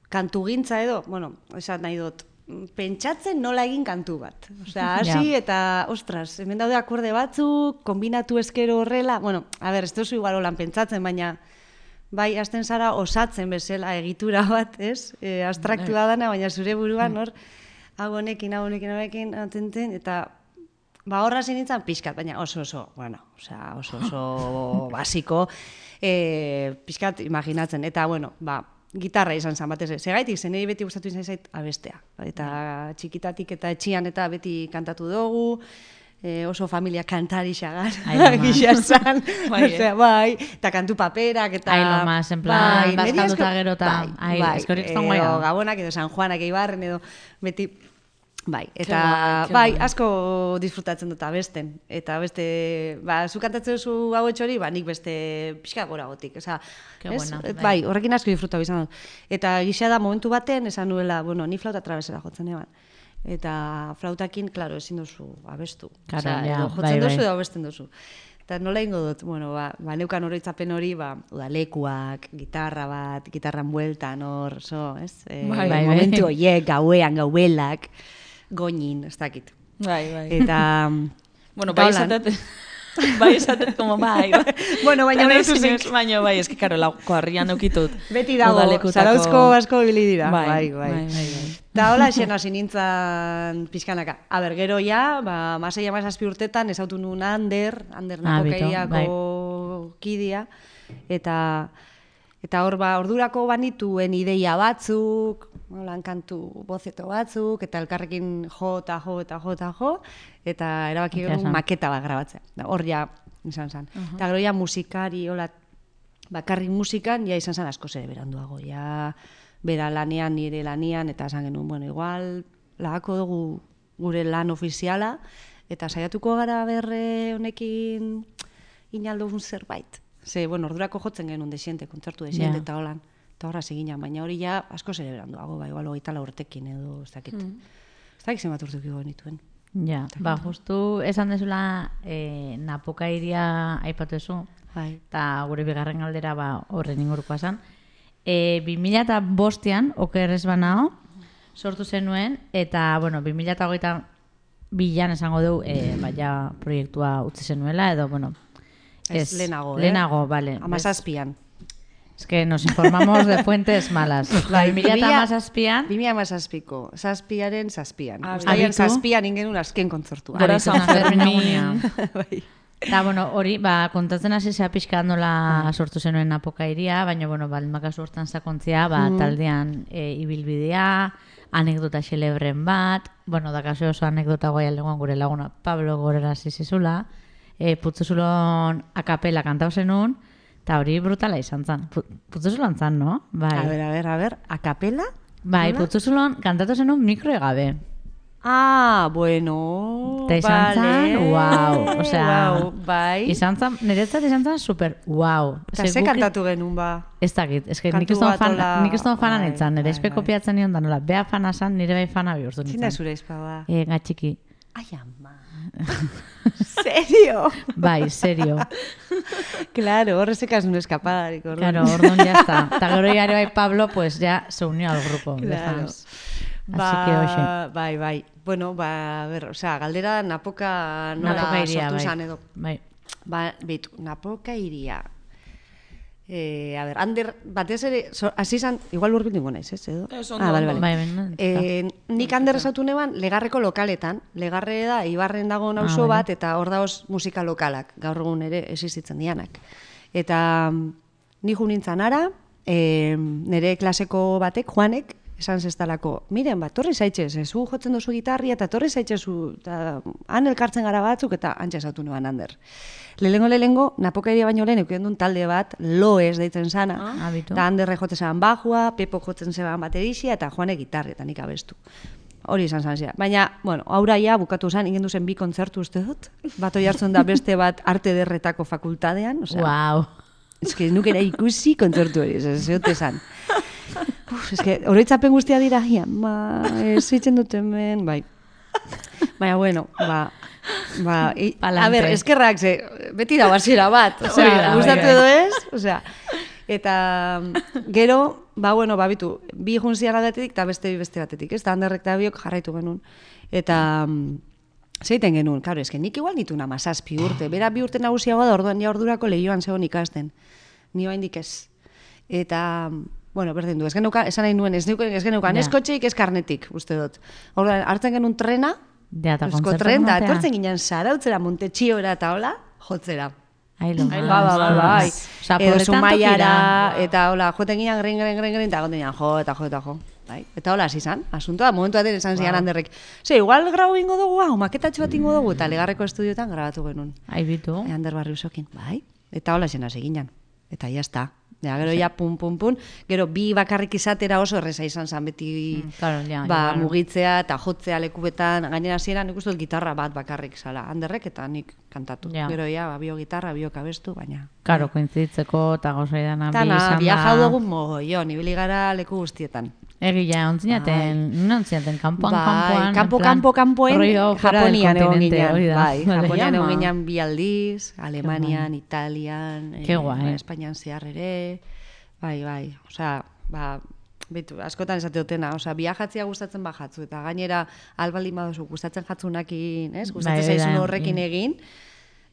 kantugintza edo, bueno, esan nahi dut, pentsatzen nola egin kantu bat. Osea, hasi Ja. eta, ostras, hemen daude akorde batzuk, kombinatu eskero horrela, bueno, a ber, ez duzu igual holan pentsatzen, baina bai, hasten zara osatzen bezala egitura bat, ez? E, abstraktua dana, baina zure buruan hor, hau honekin, hau honekin, hau honekin, atenten, eta ba horra hasi nintzen pixkat, baina oso oso, bueno, osea, oso oso basiko, e, pixkat imaginatzen, eta bueno, ba, gitarra izan zen batez, segaitik, zenei beti gustatu izan zait abestea, eta txikitatik eta etxian eta beti kantatu dugu, e, oso familia kantari xagar, Ai, lo más. gisa esan, Bai, eh. osea, bai, eta kantu paperak, eta... Ai, lo más, en plan, niri bazkalduta asko- gero eta- bai, ai, bai, eskorik estan edo guaia. Gabonak, edo San Juanak, Eibarren, edo beti... Bai, eta guai, ke bai, guai. asko disfrutatzen dut abesten. Eta beste, ba, zu kantatzen duzu hau hori, ba, nik beste pixka gora gotik. Osea, Ke ez? buena, Et, bai. bai, horrekin asko disfrutatu izan dut. Eta gisa da momentu baten, esan nuela, bueno, ni flauta trabesera jotzen eban. Eta flautakin, klaro, ezin duzu abestu. Claro, Osea, ja, edo jotzen bai, duzu bai. edo abesten duzu. Eta nola ingo dut, bueno, ba, ba neukan oroitzapen hori, ba, udalekuak, gitarra bat, gitarran bueltan hor, so, ez? E, Bai, bai, momentu bai. horiek, gauean, gauelak, goñin, ez dakit. Bai, bai. Eta... Bueno, eta bai holan. izatet, bai, esatet, como, bai, bai. Bueno, baina Kanai ulertu zinez, zik. baina, bai, eski, karo, lauko harrian eukitut. Beti dago, udalekutako- Zarauzko asko ibili dira. Bai, Bai, bai, bai. bai, bai. Eta hola, xen hasi nintzen pixkanaka. A ber, gero ja, ba, masei amazazpi urtetan ezautu nun Ander, Ander Ah, bito, napokairiako kidia, eta eta hor ba, ordurako banituen ideia batzuk, holan kantu bozeto batzuk, eta elkarrekin jo eta jo eta jo eta jo, eta erabaki Egia genuen esan. maketa bat grabatzea. Da, hor ja, izan zen. Eta gero ja musikari, hola, bakarrik musikan, ja izan zen asko ere beranduago, ja bera lanean, nire lanean, eta esan genuen, bueno, igual, lagako dugu gure lan ofiziala, eta saiatuko gara berre honekin inaldogun zerbait. Ze, bueno, ordurako jotzen genuen desiente, kontzertu desiente, Ja. eta holan, eta horra ziginan, baina hori ja asko ere beranduago, ba, igual hogeita lau urtekin edo, ez dakit. Ez dakit zenbat urtekiko genituen. Ja, ba, justu esan dezula eh, Napoka iria aipatu ezu, Bai. eta gure bigarren galdera ba, horren ingurukoa zen. E, bi mila eta bostean, oker ez banao, sortu zenuen, eta, bueno, bi mila eta hogeita bilan esango dugu, e, baina proiektua utzi zenuela, edo, bueno, Ez, lehenago, eh? Lehenago, vale. Amazazpian. Es que nos informamos de fuentes malas. Bai, bi mila eta hamazazpian, bi mila hamazazpiko, zazpiaren zazpian. Ah, Uztailean abitu. zazpian ingenun azken kontzertua. Gora Abitu San Fermin Fermin. egunean. Bai. Eta, bueno, hori, ba, kontatzen hasi zea pixka nola sortu zenuen Napoka iria, baina, bueno, baldmakazu hortan sakontzea, ba, taldean e, ibilbidea, anekdota xelebren bat, bueno, da kasu oso anekdota guai aldegoan gure laguna Pablo Gorera zizizula, e, Putzuzulon akapela kantau zenun, eta hori brutala izan zen. Pu- Putzuzulon zan, no? Bai, A ber, a ber, a ber, akapela? bai Nola? Putzuzulon kantatu zenun mikro gabe. Ah, bueno, Eta izan vale. zen, wow, osea, Wow, bai. izan zen, niretzat izan zen super, wow. Eta ze kantatu genuen ba? Ez dakit, ez que Kantu nik ez duen bat fan, hola- nik ez duen fana bai, nintzen, nire bai, espe bai. kopiatzen nion da nola, bea fana zan, nire bai fana bihurtu Zina nintzen. zure izpa ba? E, gatxiki. Ai, ama. Serio? Bai, serio. Claro, horrezekaz un escapadarik. orduan. Claro, orduan ya está. Eta gero jare bai Pablo, pues ya se unió al grupo de Claro. fans. Ba, Así que hoxe. bai, bai. Bueno, ba, a ver, o sea, galdera Napoka nola Napoka iria, sortu bai. zan edo. Bai. Ba, beitu, Napoka iria. Eh, a ver, Ander, batez ere, so, hasi zan, igual urbildu ingo naiz, ez, edo? Ez, ondo, ah, bale, ondo. bale. Bai, bai, Eh, nik Ander esatu neban, Legarreko lokaletan. Legarre da, Ibarren dago nauso Ah, bat, eta hor daoz musika lokalak, gaur egun ere existitzen dianak. Eta mm, ni ju nintzen ara, eh, nire klaseko batek, Juanek, esan zestalako, miren, bat, torri zaitxez, ez, zu jotzen duzu gitarria, eta torri zaitxezu, eta han elkartzen gara batzuk, eta antxe esatu neban Ander. Lehengo lehengo, Napoka iria baino lehen, eukien duen talde bat, Loez deitzen sana, Ah, bitu. eta Anderre jotzen zeban bajua, Pepo jotzen zeban baterixia, eta Juanek gitarri, eta nik abestu. Hori izan zan zera. Baina, bueno, aurra ja bukatu zen, ingendu zen bi kontzertu uste dut. Bat oi hartzen da beste bat arte derretako fakultadean. Osea, Wow. ez que nukera ikusi kontzertu hori, ez ez zeote zan. Uf, ez que oroitzapen guztia dira, ja, ma, ez zitzen dut hemen, bai. Baina, bueno, ba, ba, i, a Palante. ber, eskerrak, ze, beti da hasiera bat, Hori osea, da, gustatu bai, bai. edo ez, osea, eta gero, ba, bueno, ba, bitu, bi juntzian batetik eta beste bi beste batetik, ez da, Anderrek eta biok jarraitu genuen, eta mm, zeiten genuen, karo, eske nik igual nituen amazazpi urte, bera bi urte nagusiagoa da, orduan ja ordurako lehioan zegoen ikasten, ni oraindik ez, eta bueno, berdin du, ez genuka, esan nahi nuen, ez genukan, ez genukan, Ja. ez kotxeik, ez karnetik, uste dut. Orduan, hartzen genuen trena, Ja, eta eusko kontzertu tren, da, ematea. etortzen ginen Zarautzera, Montetxiora eta hola, jotzera. Ailo. Ba, ba, ba, bai. Osea, Edo pobretan Zumaiara, tokira. eta hola, joten ginen, gren, gren, gren, gren, eta goten ginen, jo, eta jo, eta jo. Bai. Eta hola, hasi zan, asuntoa, momentu baten esan zian Anderrek. Ze, igual grau ingo dugu, hau, maketatxo bat ingo dugu, eta Legarreko estudiotan grabatu genuen. Ai, bitu. E, Ander Barriusokin, bai. Eta hola zen hasi ginen. Eta ya está. Ja, gero ja, pum, pum, pum. Gero bi bakarrik izatera oso erreza izan zen beti Mm, claro, ja, ba, igual. mugitzea eta jotzea lekubetan. Gainera hasieran nik uste dut gitarra bat bakarrik zala. Anderrek eta nik kantatu. Ja. Gero ja, ba, bio gitarra, bio kabestu, baina... Karo, koinziditzeko eta gauzai dana bi Tana, izan viajau da. dugu mogoion, ibili gara leku guztietan. Egia, ontzinaten, non ontzinaten, kanpoan, Bai, kanpoan. kanpo, en plan, kanpo, kanpoen, rollo fuera del Japonian egon continente, ginen. hori da. Bai, Vale. Japonian egon Llama. ginen bi aldiz, Alemanian, Italian, Ke guai. Espainian zehar ere, bai, bai, osea, ba, betu, askotan esate dutena, osea, viajatzea gustatzen bajatzu, eta gainera albaldin baduzu gustatzen jatzunakin, ez? Gustatzen Bai, hori da, zaizun horrekin mm. egin,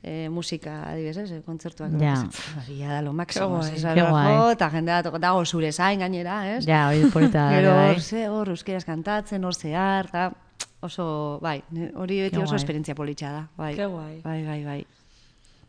E, musika, adibidez, ez, kontzertuak. Ja. Hori da lo máximo, Ke ez, guai. Ke guai. eta jendea toko- dago zure zain gainera, ez? Ja, hori polita da, Gero bai. hor, ze, hor, euskeraz kantatzen, hor zehar, eta oso, bai, ne- hori beti Ke oso guai. esperientzia politxa da, bai. Ke guai. Bai, bai, bai.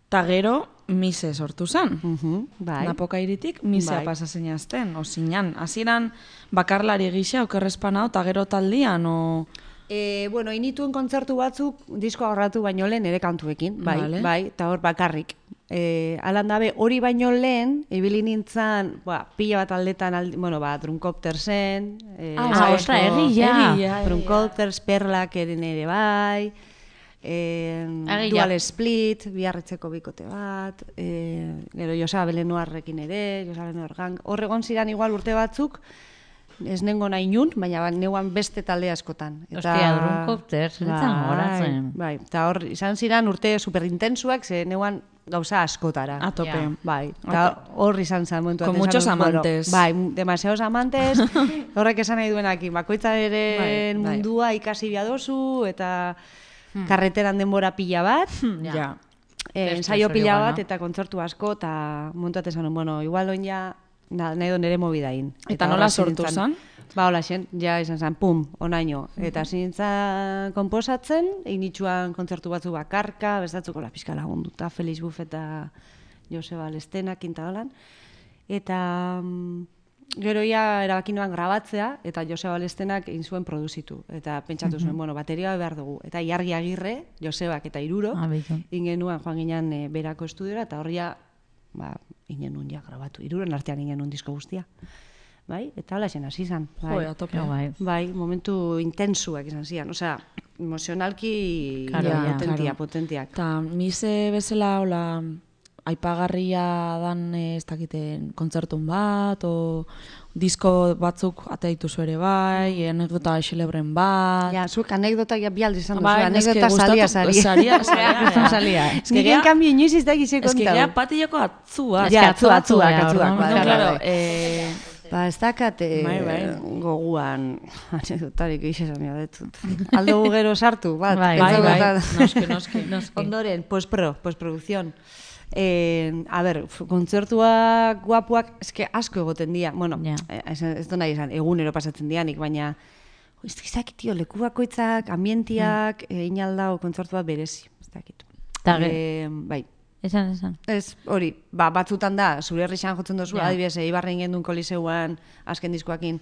Ta gero, mise sortu zen. Mhm, bai. Napoka iritik, misea Bai. pasa zeinazten, o zinan. Hasieran bakarlari gisa, okerrezpanao, ta gero taldian, o... E, bueno, inituen kontzertu batzuk diskoa horratu baino lehen ere kantuekin, bai, Vale. bai, eta hor bakarrik. E, alan dabe, hori baino lehen, ibili nintzen, ba, pila bat aldetan, aldi, bueno, ba, Drunkoptersen, e, Ah, Sabesko- ostra, egia. Egia. Drunkopters, Perlak eren ere bai, e, Egia. Dual Split, biarritzeko bikote bat, e, gero Josa Belenuarrekin ere, Josa Belenuar gang, hor egon ziren igual urte batzuk, ez nengo nahi nun, baina ba, neuan beste talde askotan. Ostia, Drunkopters, nintzen gogoratzen. Bai, eta hor izan ziren urte superintensuak, ze neuan gauza askotara. A tope. Ja. Bai, eta hor izan zen momentu. Con batean muchos esan dut, bueno, amantes. bai, demasiados amantes, horrek esan nahi duenakin, bakoitzaren Bai, bai. mundua ikasi biadozu, eta karreteran denbora pila bat, Ja. Ja. eh, Beste ensaio hori pila igual, bat, no? eta kontzertu asko, eta montuat esan nuen, bueno, igual oin ja, na, nahi do nere mobidain. Eta nola hor hasi sortu nintzen. zen? Ba, hola xen, ja izan zen, pum, onaino. Eta hasi nintzen konposatzen, initxuan kontzertu batzu bakarka, bestatzuko la pixka lagunduta, Felix Buff eta Joseba Lestena, kinta holan. Eta mm, gero ja erabaki nuen grabatzea, eta Joseba Lestenak egin zuen produzitu. Eta pentsatu zuen, bueno, bateria behar dugu. Eta Iargi Agirre, Josebak eta Iruro, Ah, beitu. ingenuen joan ginen e, berako estudiora, eta horria, ba, ingen nun ja grabatu. Iruren artean ingen nun disko guztia. Bai, eta hola zen hasi izan. Bai. Jo, a tope. Ke guai. Bai, momentu intensuak izan zian. Osea, emozionalki Claro, ja, ja. potentia, Claro. potentiak. Ta mise bezala, hola, aipagarria dan, eh, ez dakiten, kontzertun bat, o disko batzuk atea dituzu ere bai, anekdota xelebren bat. Ja, zuek anekdotak ja bi aldiz izan duzu, Bai, anekdota eske salia gustatu- sari. saria, saria, Kriston ja. salia. Ez nik en cambio inoiz ez da gizek Ez que kontatu. gea patileko atzua. Ez Ja, que atzua, atzua, atzuak, ja, atzuak. orduan, bai, No, bai, claro, bai. eh, Ba, ez dakat eh, Bai, bai. goguan anekdotarik izan ja detut. Aldo gero sartu, bat. Bai, bai, bai, pentsatu- noski, noski. Noski. Ondoren, postpro, postproducción. Eh, a ber, f- kontzertuak guapuak, eske asko egoten dira. Bueno, Ja. eh, ez, ez du nahi esan, egunero pasatzen dianik, baina jo, ez dakit, tio, leku bakoitzak, ambientiak, mm. egin aldao kontzertu bat berezi. Ez dakit. Ta ge- Eh, bai. Esan, esan. Ez, hori, ba, batzutan da, zure herrixan jotzen duzu, Ja. adibidez, Eibarren gendun koliseuan, azken diskoakin,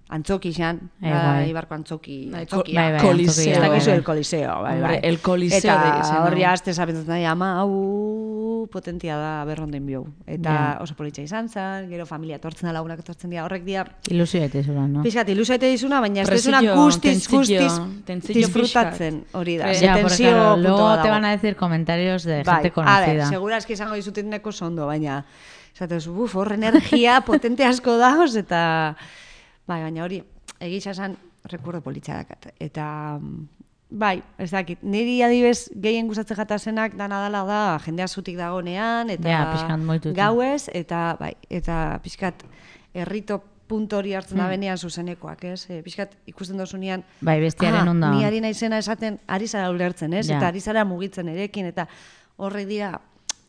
antzoki xan, Eh, da, bai. Eibarko antzoki, Bai, antzokia. bai, bai, Coliseo. antzokia, Ez bai, dakizu bai. el coliseo, bai, Hombre, bai. el Coliseo Eta de izena. horri aste zapentzen nahi, ama, hau potentia da berronden biou. Eta Ja. oso politxa izan zen, gero familia etortzen da, lagunak etortzen dira, horrek dira, Ilusio eta izuran, no? pixkat, ilusio eta dizuna, baina ez Presillo, dizuna guztiz, tentzillo, guztiz tentzillo disfrutatzen, hori da. Eh, ze Ya, porque tensio claro, punto luego bat te dago. van a decir comentarios de Bai, gente a conocida. ber, segurazki izango dizuten neko sondo, baina esatez, buf, hor energia potente asko dagoz, eta bai, baina hori, egisa esan, rekurdo politxa dakat. Eta, mm, bai, ez dakit, niri adibez gehien gustatzen jatazenak dana dala da, jendea zutik dagonean, eta Ja, pixkat moituta. gauez, eta bai, eta pixkat errito punto hori hartzen da benean zuzenekoak, ez? E, pixkat ikusten dozunean, Bai, bestiaren ah, ondoan. ni ari naizena esaten, ari zara ulertzen, ez? Ja. Eta ari zara mugitzen erekin, eta horrek dira,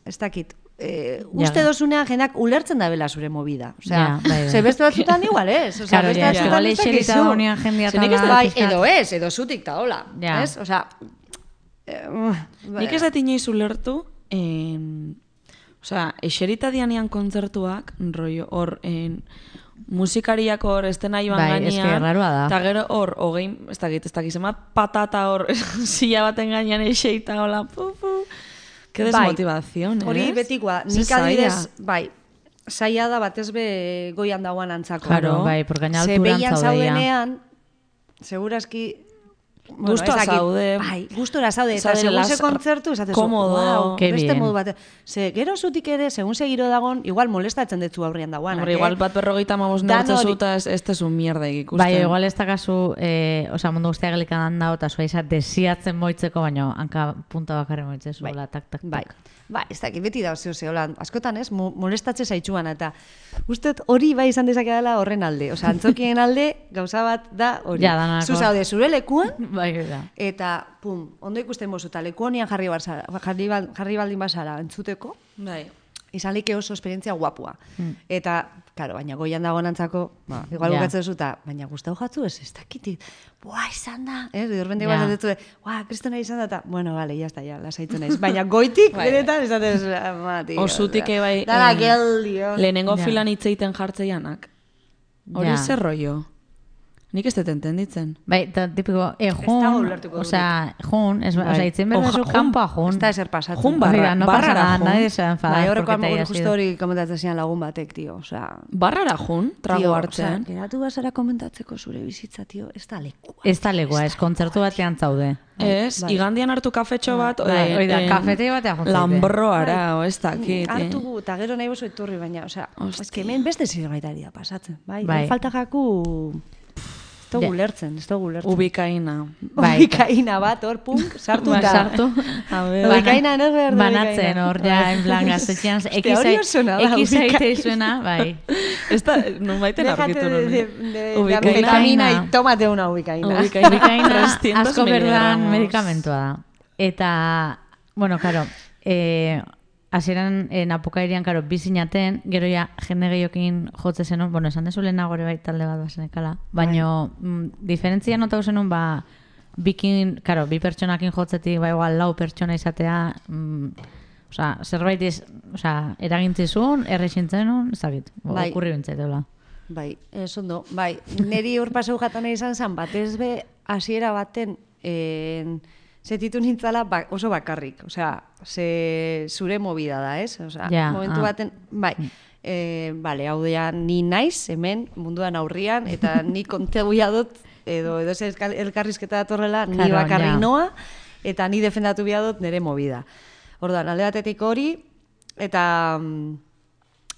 ez dakit, e, Ja. uste dozunean jendak ulertzen da bela zure movida. Osea, Ja, bai, bai. ze beste batzutan igual, ez? Osea, Claro, beste ja, batzutan igual ez eserita dakizu. dagoenean jendea Ze nik ez tabla, da- Bai, pixkat. edo ez, edo zutik ta hola, Ja. ez? Osea, eh, Nik ez dut inoiz ulertu, en, osea, eserita dianean kontzertuak, rollo, hor, en, musikariak hor estena iban Bai, gainean, eske raroa da. eta gero hor, hogein, ez dakit, ez dakit, zemat patata hor, silla baten gainean eseita, hola, pu, pu. Qué desmotivación, Hori ez? betikoa, Ze nik adibidez, zaila. bai, zaila da batez be goian dagoan antzako. Claro, bai, porque gaina Ze alturan behian zaude ja. zaudenean, segurazki, Gustora ez dakit, zaude. Bai, gustora zaude, eta Zaude segun las- ze kontzertu, esatezu, komodo, wow, Ke beste bien. modu bat. Ze, gero zutik ere, segun ze giro dagon, igual molestatzen detzu aurrean dagoanak, Hombre, eh? igual bat berrogeita mamos Dan neurtze hori- zuta ez, ez tezu mierda ikusten. Bai, igual ez dakazu, eh, osea, mundu guztiak gelikan handa, eta zua izat desiatzen moitzeko, baina hanka punta bakarri moitzezu, Bai. hola, tak, tak, tak. Bai, bai, ez dakit, beti da, zeo, hola, askotan ez, mo- molestatze zaitxuan, eta uste dut hori bai izan dezake dela horren alde. Osea, antzokien alde, gauza bat da hori. Ja, danako. Zu zaude, zure lekuan, Bai, da. Eta, pum, ondo ikusten mozu, eta leku honian jarri, barzara, jarri, bal- jarri baldin bazara entzuteko, Bai. izan like oso esperientzia guapua. Mm. Eta, karo, baina goian dago nantzako, ba, igual Ja. bukatzen duzu, eta, baina gustau jatzu ez, ez dakitit, buah, izan da, ez, de repente Ja. igual zatetu, buah, kristona izan da, eta, bueno, vale, ya está, ya, lasaitzen naiz. Baina goitik, Bai. benetan, esatez, ama, tío. Osutik osea, bai... Dala, eh, geldio. Lehenengo Ja. filan hitz egiten jartzeianak. Hori Ja. zer rollo? Nik ez dut entenditzen. Bai, eta tipiko, e, dago jun, ulertuko osea, jun, ez, Bai. osea, itzen behar Oja- zu jun- kanpoa jun. Ez da ezer pasatzen. Jun barra- Oiga, no pasa barrara nada, jun. nadie se va a enfadar Bai, horreko porque te hor hayas justo ido. hori komentatzen zian lagun batek, tio, osea... Barrara jun, trago Tio, hartzen. osea, geratu bazara komentatzeko zure bizitza, tio, ez da lekua. Ez da legua, ez kontzertu batean zaude. Ez, bai. igandian hartu kafetxo bat, Bai, eh, hori da, eh, kafetegi batean juntzen. Lambroara, o ez dakit. eh. Hartu gu, eta gero nahi bozu etorri, baina, osea, ez que hemen beste zirgaitari da pasatzen, bai? Bai. Bai. Falta jaku... Ez dugu Ja. ulertzen, ez dugu ulertzen. Ubikaina. Bai. Ubikaina bat, hor, punk, sartu Ba, da. sartu. A ver. Ubikaina, no behar da Banatzen hor, ja, en plan, gaztetxean, Hostia, hori oso ona da, ekiz ubikaina. aite izuena, bai. Ez da, nun baiten Déjate aurkitu de, de, nun. de, de Ubikaina. anfetamina y tómate una ubikaina. Ubikaina. Ubikaina trescientos asko berdan miligramos. medikamentua da. Eta, bueno, karo, eh, hasieran eh, napukairian, karo, bizinaten, gero ja jende gehiokin jotze zenun, bueno, esan dezu lehenago ere bai talde bat bazenekala, baino, mm, diferentzia notau zenun, ba, bikin, karo, bi pertsonakin jotzetik, ba, igual, lau pertsona izatea, mm, osea, zerbait iz, osea, eragintzizun, errexintzenun, ez dakit, Bai. okurri bintzaiteula. Bai, ez ondo, bai, niri hor paseu jatan izan zen, batez be, hasiera baten, en, setitu nintzala ba, oso bakarrik, osea, ze, zure movida da, ez? Osea, Ja, momentu ah. baten, bai, e, bale, hau dea, ni naiz, hemen, munduan aurrian, eta ni konteguia dut, edo, edo ze elkar- elkarrizketa datorrela, ni Claro, bakarrik ja. noa, eta ni defendatu behar dut nire movida. Orduan, alde batetik hori, eta... mm,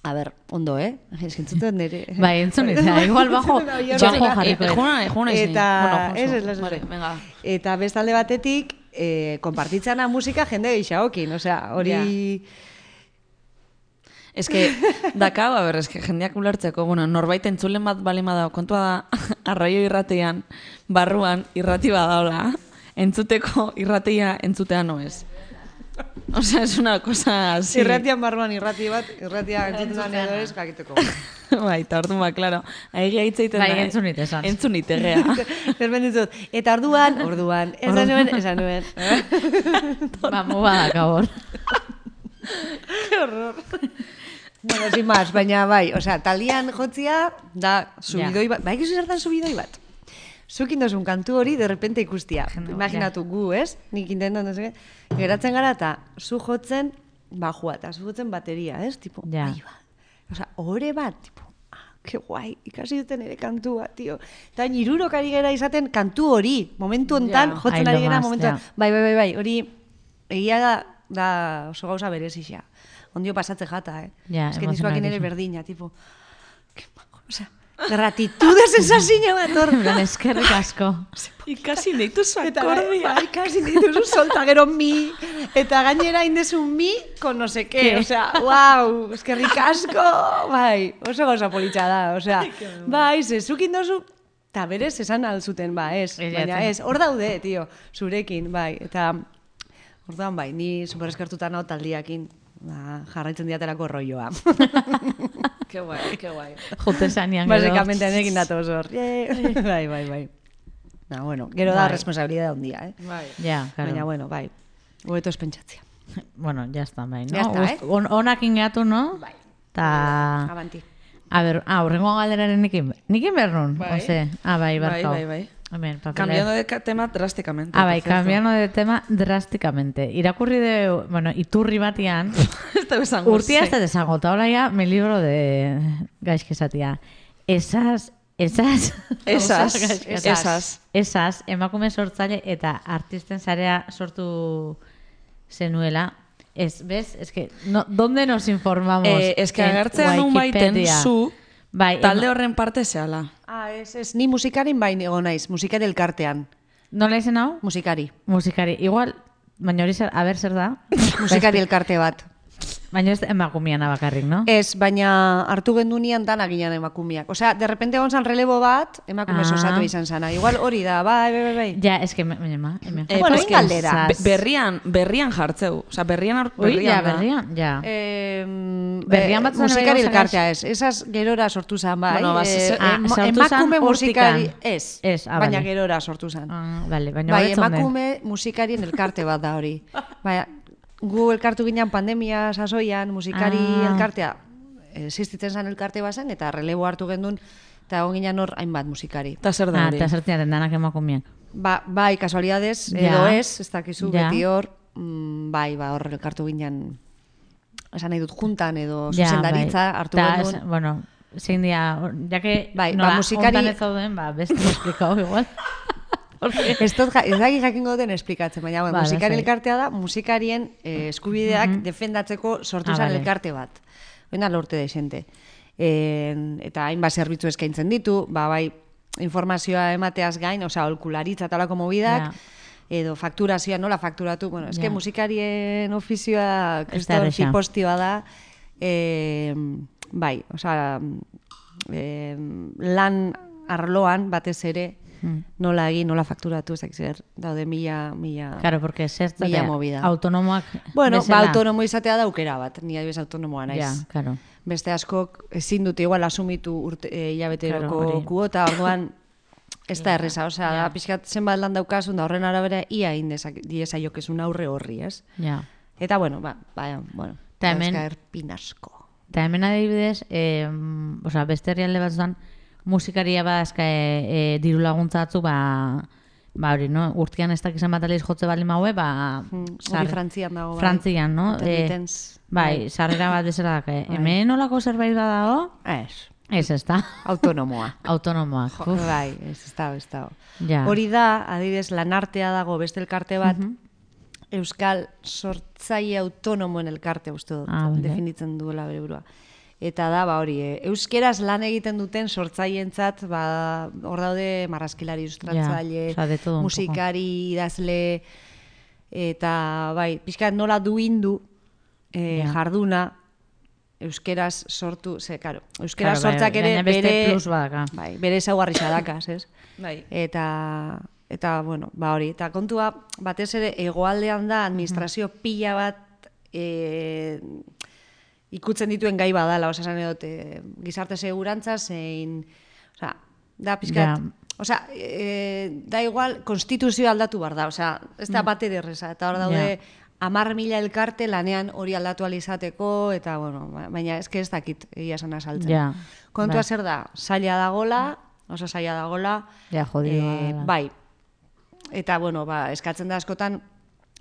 A ber, ondo, eh? Ez entzuten nire... Bai, entzun izan, igual bajo, Bai, bajo hori- jarriko. dut. Juna, juna izni. Eta, Bueno, ez, Josu, ez, ez, vale, ez. venga. Eta bestalde batetik, eh, konpartitzana musika jende geixaokin, osea, hori... Ez que, dakau, a ber, ez que jendeak ulertzeko, bueno, norbait entzulen bat balima da, kontua da, arraio irratean, barruan irrati badaola, entzuteko irratia entzutea no ez. O sea, es una cosa así. Irratian barruan irrati bat, irratia entzuten da edo ez, jakiteko. Bai, eta orduan, ba, klaro, ahi hitz egiten Bai, da. entzun ite esan. Entzun ite, gea. Zerben ditut, eta orduan, orduan, esan nuen, esan nuen. Ba, mu badak hor. Bueno, sin más, baina bai, osea, taldian jotzia da subidoi bat, bai, gizu zertan subidoi bat. Zukin dozun kantu hori, de repente ikustia. Imaginatu gu, ez? Nik intentan dozun, geratzen gara eta zu jotzen bajua, eta zu jotzen bateria, ez? Tipo, Ja. ahi ba. Osea, ore bat, tipo, ah, que guai, ikasi duten ere kantua, tio. Eta nirurok ari gara izaten kantu hori, momentu hontan, Ja. jotzen Ai, ari lo gara más, momentu ja. Bai, bai, bai, bai, hori egia da, da oso gauza berezixa. Ondio pasatze jata, eh? Ja, Ez que nizkoakin ere emozionalizu. berdina, tipo, que majo, osea, gratitud sensazio bat hor. En plan, eskerrik asko. Ikasi dituzu Eta akordia. bai, kasi dituzu solta gero mi, eta gainera indezu mi, con no sé qué, Ke? osea, wow, eskerrik asko, bai, oso gauza politxa da, osea, bai, zezukin dozu, eta berez esan alzuten, ba, ez, Ez baina jaten. ez, hor daude, tio, zurekin, bai, eta, orduan, bai, ni super eskertuta nao taldiakin, ba, jarraitzen diatelako rolloa. Ke guai, ke guai. Jute zanean gero. Basikamente, nekin datoz hor, bai, bai, bai. Na, bueno, gero da Bai. responsabilidad handia, eh? Bai. Ja, claro. Baina, bueno, bai, hobeto ez pentsatzea. Bueno, ya está, bai, no? Ya está, Gust- on, onakin gehatu, no? Bai. Ta... Avanti. A ber, ah, urrengo galderaren nikin, nikin behar nun? Bai. Ose, ah, bai, Bai, barkau. bai, bai. Hemen, papelera. Cambiando de ca- tema drásticamente. Ah, bai, por cierto. cambiando de tema drásticamente. Irakurri de, bueno, iturri batian, Ez da esango urtia ez ze. da desango, eta hola ya, mi libro de gaizkesatia. Esas, esas, Esas, Esas. esas. esas, emakume sortzaile eta artisten sarea sortu zenuela. Ez, bez? Ez que, no, ¿dónde nos informamos? Eh, es que En agertzean nun baiten Wikipedia. zu Bai, talde ema- horren parte zehala. Ah, ez, ez, ni musikarin bain egon naiz, musikari elkartean, Nola izen hau? musikari. Musikari. Igual, baina hori zer, a ber zer da? Musikari elkarte bat. Baina ez emakumiana bakarrik, no? Ez, baina hartu gendunean dana ginen emakumiak. Osea, de repente egon zan relebo bat, emakumez Ah. osatu izan zana. Igual hori da, bai, bai, bai, bai. Ja, eske, hemen, hemen. Eh, Bueno, pues egin que galdera. be- Berrian, berrian jartzeu. Osa, berrian, ar- Ui, berrian ja, da. berrian, ja. Eh, Berrian eh, batzuen musikari bai elkartea ez. Esaz gerora sortu zan, bai. Bueno, ba, Eh, ze- ah, ema- sortu zan emakume musikari, hortikan. ez, Ez, ah, baina bale. gerora sortu zan. Ah, bale, baina Bai, hobetzen den. emakume musikarien elkarte bat da hori. Bai, gu elkartu ginen pandemia sasoian, musikari Ah. elkartea, existitzen zen elkarte bazen, eta relebo hartu gendun, eta egon ginen hor hainbat musikari. Eta zer da Ah, hori? eta zertiaren danak emakumiak. Ba, bai, kasualidades, Ja. edo ez, ez dakizu, Ja. beti hor, mm, bai, ba, hor elkartu ginen, esan nahi dut, juntan edo Ja, zuzendaritza bai. hartu Ta, gendun. es- bueno, zein dia, or- ja que Bai, ba, nola musikari- hontan ez zauden, ba, beste esplikau igual. Porque- Ez dut, ja- ez dakit jakingo den esplikatzen, baina bueno, Bale, musikari zai. elkartea da, musikarien eh, eskubideak Mhm. defendatzeko sortu Ah, zen bale. elkarte bat. Oina lorte da xente. En, eta hainbat zerbitzu eskaintzen ditu, ba, bai, informazioa emateaz gain, osea, holkularitza eta holako mobidak, Ja. edo fakturazioa nola fakturatu, bueno, eske Ja. musikarien ofizioa Ez da kriston erresa. zipostioa da, eh, bai, osea, eh, lan arloan batez ere, Hmm. nola egin, nola fakturatu, ez dakit zer, daude mila, mila... Claro, porque zertzate Mila movida. autonomoak Bueno, bezala. ba, autonomo izatea da aukera bat, ni adibidez autonomoa naiz. Ja, claro. Beste askok ezin dute igual asumitu urte, e, hilabeteroko Claro, hori. kuota, orduan ez da erreza, osea, Ja. da pixkat zenbat lan daukazun da horren arabera ia egin dezak- diezaiokezun aurre horri, ez? Ja. Eta bueno, ba, ba, bueno, Ta hemen- dauzka erpin asko. Eta hemen adibidez, eh, osea, beste herrialde batzutan musikaria badazka e, e, diru laguntza batzu, ba, ba hori, no? Urtean ez dakizan bat aliz jotze bali maue, ba... Hmm, sar- hori Frantzian dago, bai. Frantzian, no? Intermitents, bai, sarrera bat bezala dake. Hemen olako zerbait badago? Ez, Ez, ez da. autonomoa. Autonomoak. Jo, Uf, bai, ez, ez da, ez da. ja. Hori da, adibidez, lanartea dago beste elkarte bat, Euskal Sortzaile Autonomoen elkarte uste dut, Ah, bale. definitzen duela bere burua. Eta da, ba hori, eh, euskeraz lan egiten duten sortzaileentzat, ba, hor daude marrazkilari, ilustratzaile, osea, de todo un musikari, idazle, eta bai, pixkat nola duindu eh, Ja. jarduna, euskeraz sortu, ze, karo, euskeraz Claro, bai, sortzak ere gaina beste bere, plus badaka. bai, bere ezaugarri sadakaz, ez? Bai. Eta, eta bueno, ba hori, eta kontua batez ere hegoaldean da administrazio pila bat e, ikutzen dituen gai badala, osea, esan edot, e, gizarte segurantza zein, osea, da pizkat, Ja. osea, e, da igual konstituzioa aldatu bar da, osea, ez da bat ere erreza, eta hor daude hamar mila elkarte lanean hori aldatu ahal izateko, eta bueno, ba- baina eske ez dakit egia esan azaltzen. Ja, Kontua bai. zer da, zaila dagola, oso zaila dagola, Ja, jodidoa eh, dela. bai, eta bueno, ba, eskatzen da askotan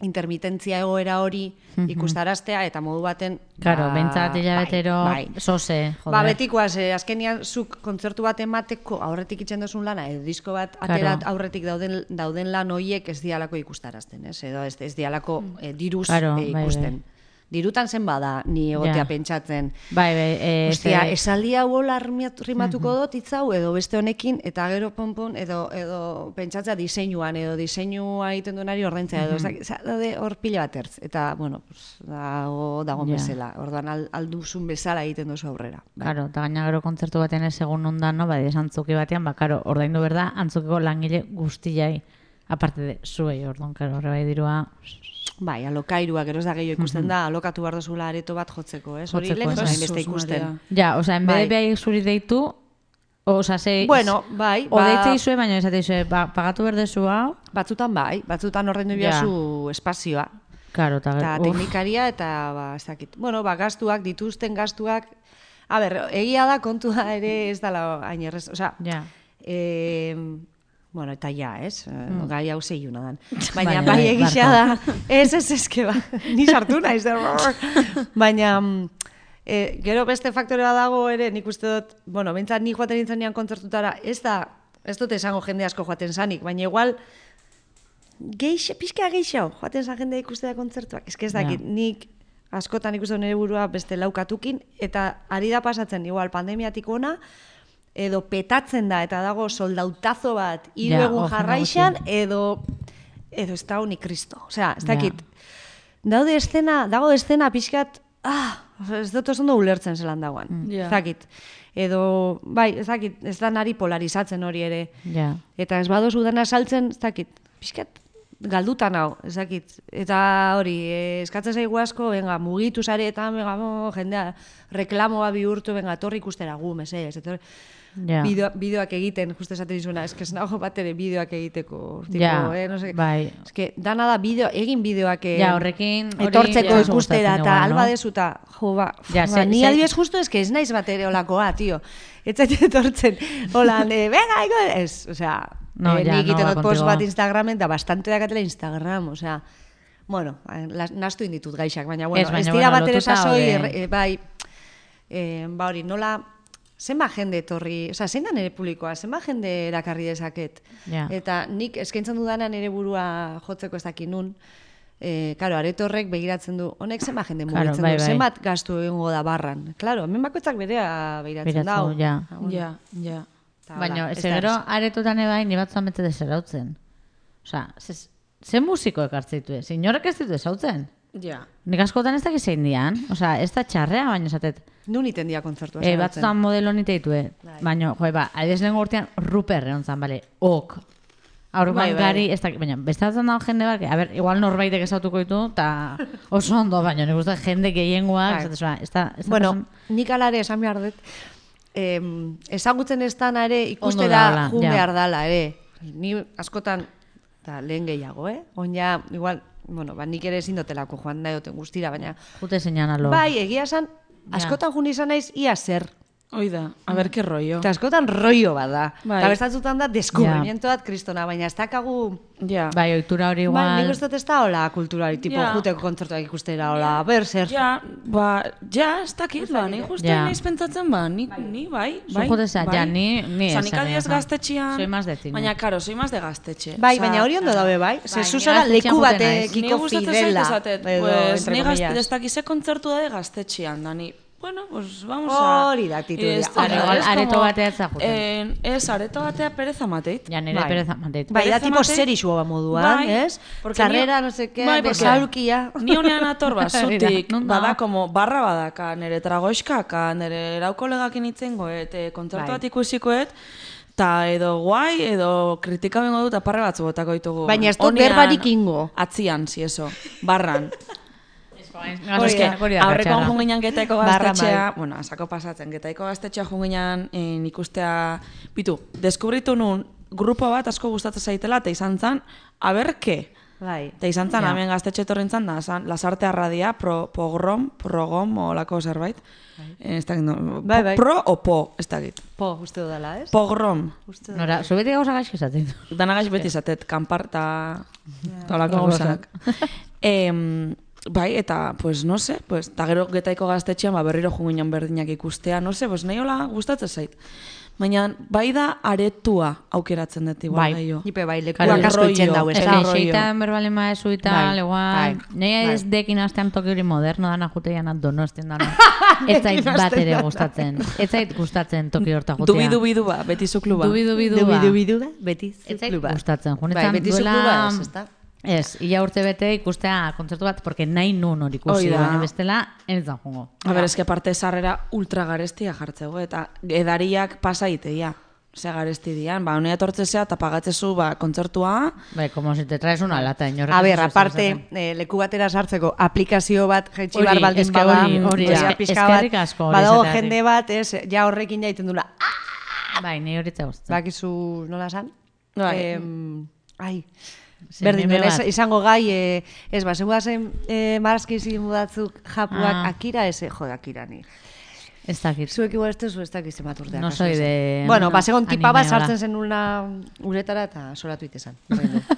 intermitentzia egoera hori ikustaraztea, eta modu baten... Claro, ba, bentsat hilabetero bai, bai. sose, joder. Ba, betikoaz, eh, azkenian zuk kontzertu bat emateko aurretik itzen duzun lana, edo disko bat atera Claro. aurretik dauden, dauden lan hoiek ez dialako ikustarazten, ez? Edo ez, ez dialako eh, diruz Claro, eh, bai, ikusten. bai. Dirutan zen bada, ni egotea Ja. pentsatzen. Bai, bai, eh, Ostia, ze- esaldi hau hola rimatu- rimatuko dut hitzau edo beste honekin, eta gero ponpon, edo, edo pentsatzea diseinuan, edo diseinua egiten duenari ordaintzea, edo, mm daude hor pila bat ertz. Eta, bueno, pues, dago, dago Ja. bezala, orduan al, alduzun bezala egiten duzu aurrera. Claro, eta gaina gero kontzertu batean ez egun ondan, no, bai, antzuki batean, ba, karo, ordaindu berda, antzukiko langile guztiai, aparte de zuei, orduan, karo, horre bai dirua, Bai, alokairua, gero ez da gehiago ikusten da, alokatu behar duzula areto bat jotzeko, ez? Hori Jotzeko, lehen ez. zain beste Jesus ikusten. Maria. ja, osea, en bede Bai. behai zuri deitu, osea, ze... Bueno, bai, O ba- deitzei zue, baina esate zue, ba, pagatu berdezu hau, Batzutan bai, batzutan ordaindu Ja. bihazu espazioa. karo, eta Eta uf, teknikaria eta ba, ez dakit. Bueno, ba, gastuak, dituzten gastuak, a ber, egia da kontua ere ez dala hain errez, osea, ja. eh, bueno, eta ja, ez? Mm. Gai hau zeiuna dan. Baina, Baina bai bai, egisa da, ez ez eske ba, ni sartu naiz da. Baina, mm, eh, gero beste faktore bat dago ere, nik uste dut, bueno, bentsat ni joaten nintzen nian kontzertutara, ez da, ez dut esango jende asko joaten zanik, baina igual, geixe, pixka geixo, joaten zan jendea ikustera kontzertuak. Ez que ez dakit, Ja. nik askotan ikusten nire burua beste laukatukin, eta ari da pasatzen, igual, pandemiatik ona, edo petatzen da, eta dago soldautazo bat, hiru Ja, egun oh, jarraixan, jende edo, edo ez da honi kristo. Osea, ez Ja. dakit, daude estena, dago estena pixkat ah, ez dut oso ondo ulertzen zelan dagoan. Mm. Yeah. Zakit. Edo, bai, ez dakit, ez da nari polarizatzen hori ere. Ja. Eta ez badozu dana saltzen, ez dakit, pixkat, galdutan hau, ez dakit. Eta hori, eh, eskatzen zaigu asko, venga, mugitu sareetan, venga, mo, jendea, reklamoa bihurtu, venga, torri ikustera gu, mesedez, eta Ja. bideo, bideoak egiten, justu esaten dizuna, eske ez nago bat ere bideoak egiteko, tipo, Ja, eh, no sé, bai. eske dana da bideo, egin bideoak eh, Ja, horrekin hori etortzeko ja. ikustera, eta Gustatzen igual, alba no? dezuta, jo, ba, Ja, ba, ze- ni ze- adibidez justu eske ez naiz bat ere olakoa, tio. Ez zait etortzen, holan, eh, venga, ego, ez, osea, No, eh, ja, nik no, egiten ba, dut post contigo. bat Instagramen, da bastante dakatela Instagram, osea, bueno, las- nahastu inditut gaixak, baina, bueno, Ez, baina, ez dira bueno, bat ere lotuta sasoi, daude. erre- eh, bai, eh, ba hori, nola, zenba jende etorri, osea, zein da nire publikoa, zenba jende erakarri dezaket. Ja. Eta nik eskaintzen dudanean nire burua jotzeko ez dakit nun, eh, claro, areto horrek begiratzen du, honek zenba jende Claro, mugitzen bai, du, bai. zenbat gastu egingo da barran. Claro, hemen bakoitzak berea begiratzen Biratzen dau. du, ja. Ah, bueno. Ja, ja. Eta Baina, hola, ez ez da gero erraza. aretotan ebai, ni batzuan bete deserautzen. Osa, ze, ze musiko ekartzen ditu, ez? Inorek ez ditu ezautzen. Ja. Nik askotan ez dakit zein dian, osa, ez da txarrea, baina esatet. Nun iten dia kontzertua. E, zaratzen. batzutan modelo nite ditue, Bai. baina, joe, ba, adibidez lehen urtean Ruper egon zan, bale, ok. Aurban Bai, bai. gari, ez dakit, baina, beste batzen dago jende bat, que, a ber, igual norbaitek ezautuko ditu, eta oso ondo, baina nik uste jende gehiengoak, Bai. ez da, ez da, ez da Bueno, pasan- nik ala ere esan behar dut, em, ezagutzen ez dana ere Ondo ikustera daola, jun ja. behar dala ere. Ni askotan, eta lehen gehiago, eh? Oin ja, igual, bueno, ba, nik ere ezin dotelako joan nahi duten guztira, baina... jute zeinan alo. Bai, egia esan, Ja. askotan jun izan naiz ia zer. Hoi da, a ber, que rollo. Eta askotan rollo bada. Bai. Eta bestatzutan da deskubrimiento bat kristona, baina ez dakagu... Ja. Bai, ohitura hori igual. Bai, nik uste dut ez da hola kulturari, tipo, Ja. juteko kontzertuak ikustera, hola, ber, zer. Ja, ba, ja, ez dakit, ba, ni justu Ja. naiz pentsatzen, ba, ni, ni bai, Zu bai. jute zea, ja, ni- ni Osa, ez, nik adibidez eh, gaztetxean... soy más de cine. Baina, karo, soy más de gaztetxe. Bai, Osea, baina hori ondo dabe, bai? Bai, Ze ni zuzara gaztetxean leku juten naiz. Ni batekiko gustatzen zait fidela. esatet, edo, pues, entre ni gazte, comillas. ez dakize kontzertu da de gaztetxean, da ni, bueno, pues vamos a... Hori da aktitudia. Ez, Claro, igual es areto como, batea ez da juten. eh, Ez, areto batea pereza mateit. Ja, nire Bai. pereza mandeit. Bai, da Pereza tipo matei. serixua moduan, Bai, ez? porque Txarrera, ni- no sé qué, bai, porque besaulkia. Ni honean ator Hori bazutik, da, non bada, dago? como, barra badaka, nire tragoiskaka, nire erau kolegakin itzengoet, e, kontzertu Bai. bat ikusikoet, ta edo guai, edo kritika bengo dut aparre batzu botako ditugu. Baina ez dut Honean, berbarik ingo. Atzian, si eso, barran. Hori Eske, da, hori da aurrekoan katxarra. junginan getaiko Barra gaztetxea, bai. bueno, asako pasatzen, getaiko gaztetxea junginan eh, ikustea, bitu, deskubritu nun grupo bat asko gustatzen zaitela, eta izan zan, aberke. Bai. Eta izan zan, Ja. hemen gaztetxe etorrin zan, da, zan, lasarte arradia, pro, pogrom, progom, olako zerbait. Eh, Ez dakit, no, Bai, po- bai. pro o po, ez dakit. Po, uste dudala, ez? Pogrom. Uste dut. Nora, zu beti gauza gaizki esaten du. Danagaz beti izatet, kanpar eta eta olako gauzak. gauzak. Em, bai, eta, pues, no se, pues, eta gero getaiko gaztetxean, ba, berriro junginan berdinak ikustea, no se, pues, nahi hola gustatzen zait. Baina, bai da aretua aukeratzen dut, igual, Bai. gehiago. Nipe bai, Claro, lekuak asko rollo. itxen dau, ez Ez da? que rollo. xeitan berbalen maezu eta, Bai, igual, bai, nahi bai. ez dekin astean toki hori moderno dana juteian donosten dana. Ez zait bat ere gustatzen. Ez zait gustatzen toki horta jutea. Dubi, dubi, duba, beti zu kluba. Dubi, dubi, Dubi, duba. dubi, duba, beti Ez zait zukluba. gustatzen. Bai, Junetan beti duela... zukluba ez, ez da? Ez, ia urte bete ikustea kontzertu bat, porque nahi nun hori ikusi, Hoi da. baina bestela, ez da jungo. A ber, eske parte sarrera ultra garestia jartzego, eta edariak pasaiteia. Ze garesti dian, ba, honea etortzezea eta pagatzezu, ba, kontzertua, Bai, como si te traes una lata, inorrek A ez ber, duzu aparte, esaten. eh, leku batera sartzeko aplikazio bat jaitsi Hori, bar baldin eske bada, hori, hori, ja eske- pixka eskerrik bat, asko hori badago esateagatik. jende bat, ez, ja horrekin jaiten dula, ah, Bai, ni hori tza gustatzen. bakizu nola esan? Bai. Em, ai, Ze berdin meme duen, ez, bat. izango gai, eh, ez, ba, zengu zen eh, marazkizi mudatzuk japuak, Ah. akira, ez, jo, akira ni. Ez dakit. Zuek igual ez duzu ez dakiz zenbat urteak. No kasu soy esan. de Bueno, ba, segon tipa bat anime, hola. sartzen zen una uretara eta solatu itezan.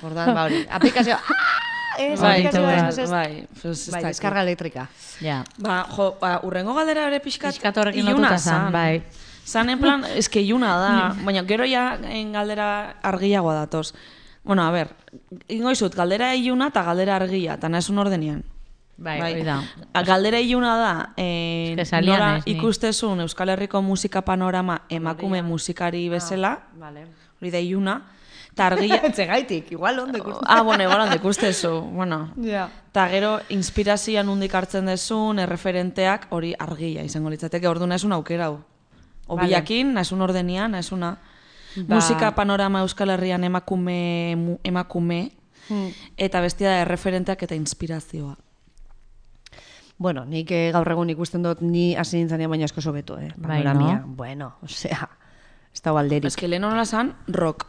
Ordan, ba hori, aplikazioa, ah, ez, bai, aplikazioa, ez, bai, ez, ez. bai, pues, ez Bai, dakit. deskarga elektrika. Ja. Ba, jo, ba, urrengo galdera ere pixkat, Pixkat horrekin iluna lotuta zan, bai. Zan, en plan, eske iluna da, baina gero ja en galdera argiagoa datoz. Bueno, a ber, ingo izut, galdera iluna eta galdera argia, eta nahizun ordenian. Bai, hori da. A, Galdera iluna da, eh, Eske salia nola naiz ni. ikustezun Euskal Herriko musika panorama emakume musikari bezala, Vale. hori da iluna, Ta argia... Zegaitik, igual ondo ikusten. Ah, bueno, igual ondo ikustezu, bueno. Ja. Ta gero, inspirazioa nundik hartzen dezun, erreferenteak hori argia izango litzateke, ordu naizun aukera hau. Obiakin, naizun ordenian, naizuna... Ba. Musika panorama Euskal Herrian emakume, mu- emakume Hmm. eta bestia da erreferenteak eta inspirazioa. Bueno, nik eh, gaur egun ikusten dut ni hasi nintzanean baina asko sobeto, eh? Bai, Panoramia. no? Bueno, osea, ez da alderik. Ez que lehen nola zan, rock.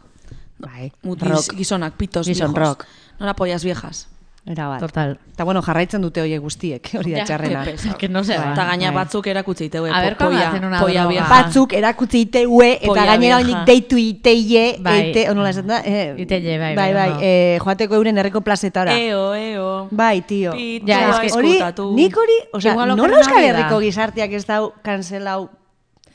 Bai, Mutis, rock. gizonak, pitos, Gizon viejos. rock. Nola pollas viejas. Era bat. Total. Eta bueno, jarraitzen dute horiek guztiek, hori da Ja, txarrena. qué pesado. Que no se va. Eta gaina bai. batzuk erakutsi iteue, A ver, po- cuando polla, hacen una polla droga. vieja. Batzuk erakutsi iteue eta Polla gainera vieja. oinik deitu iteie, Bai. eite, onola esan da? Eh, Iteie, bai, bai, bai, bai, ondo. eh, joateko euren herriko plazetara. Eo, eo. Bai, tio. Pito, Ja, ja, es que- Hori, eskutatu. nik hori, osea, Igual nola okerrena Euskal hori da. Herriko gizarteak ez dau kanselau.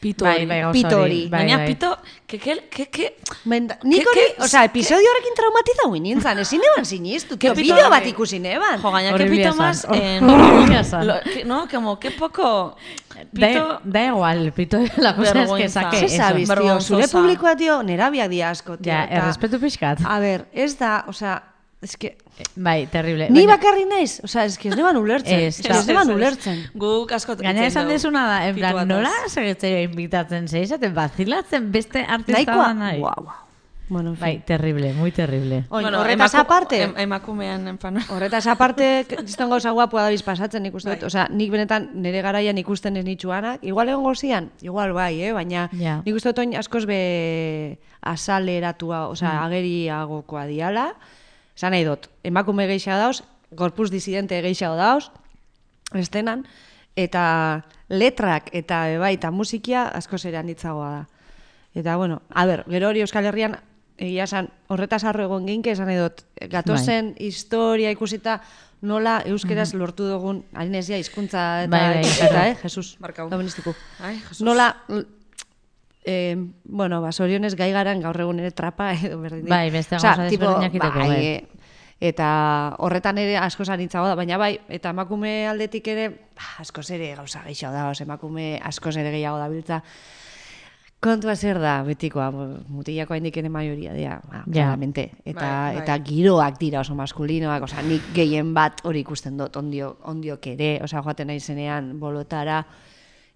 Pito Bai, hori. bai, gauza Pito hori. hori. Bai, Baina bai. pito, que, que, que, que... Menda, nik Ke- hori, ke- osea, ke- episodio horrekin traumatizau nintzen, ezin eban sinistu, Ke tio, pito bideo hori. bat ikusi neban. Jo, gaina, que Horrible pito esan. más... Hor- eh, horrible esan. lo- que- no, como, que poco... Da, Pito... da igual, pito, la cosa es que Vergüenza. saque Ze eso. sabiz, tio, vergonzosa. zure publikoa, tio, nerabiak dia asko, tio. Ja, eta- errespetu pixkat. A ber, ez da, osea, ez que... Bai, terrible. Ni Baina- bakarri naiz, osea, ez que ez neban ulertzen. Ez, Ez que ez neban ulertzen. Guk asko Gaina esan dezuna da, en plan, nola segitzea invitatzen zeizaten, bazilatzen beste artista Nahikoa, da nahi. guau, guau. Bueno, en fin. Bai, terrible, muy terrible. Oin, Bueno, horretaz emaku- aparte, em- emakumean enpano. horretaz aparte, kriston gauza guapua dabiz pasatzen nik uste dut. Osea, nik benetan nire garaian ikusten ez nitxuanak, igual egon gozian, igual bai, eh? Baina Ja. nik uste dut oin askoz be asaleratua, osea, ageriagokoa diala. Esan nahi dut, emakume geixa dauz, gorpuz disidente geixa dauz, estenan, eta letrak eta e, bai, eta musikia askoz ere handitzagoa da. Eta, bueno, a ber, gero hori Euskal Herrian, egia esan, horretaz harro egon ginke, esan nahi dut, gatozen historia ikusita, nola euskeraz lortu dugun, harinezia hizkuntza eta, Bai, bai, eta, claro. eh, Jesus, Barkau. doministiku. Ai, Jesus. Nola, eh, bueno, ba, zorionez gai garan gaur egun ere trapa edo berdin. Bai, beste Osea, gauza tipo, desberdinak iteko, bai, bai. eh, eta horretan ere asko zanitzago da, baina bai, eta emakume aldetik ere, bah, askoz ere gauza gehiago da, os, emakume askoz ere gehiago da biltza. Kontua zer da, betikoa, mutilako haindik ere maioria dira, ba, Ja. claramente. Eta, Bai, bai. eta giroak dira oso maskulinoak, osea, nik gehien bat hori ikusten dut, ondio, ondiok ere, osea, joaten naizenean bolotara,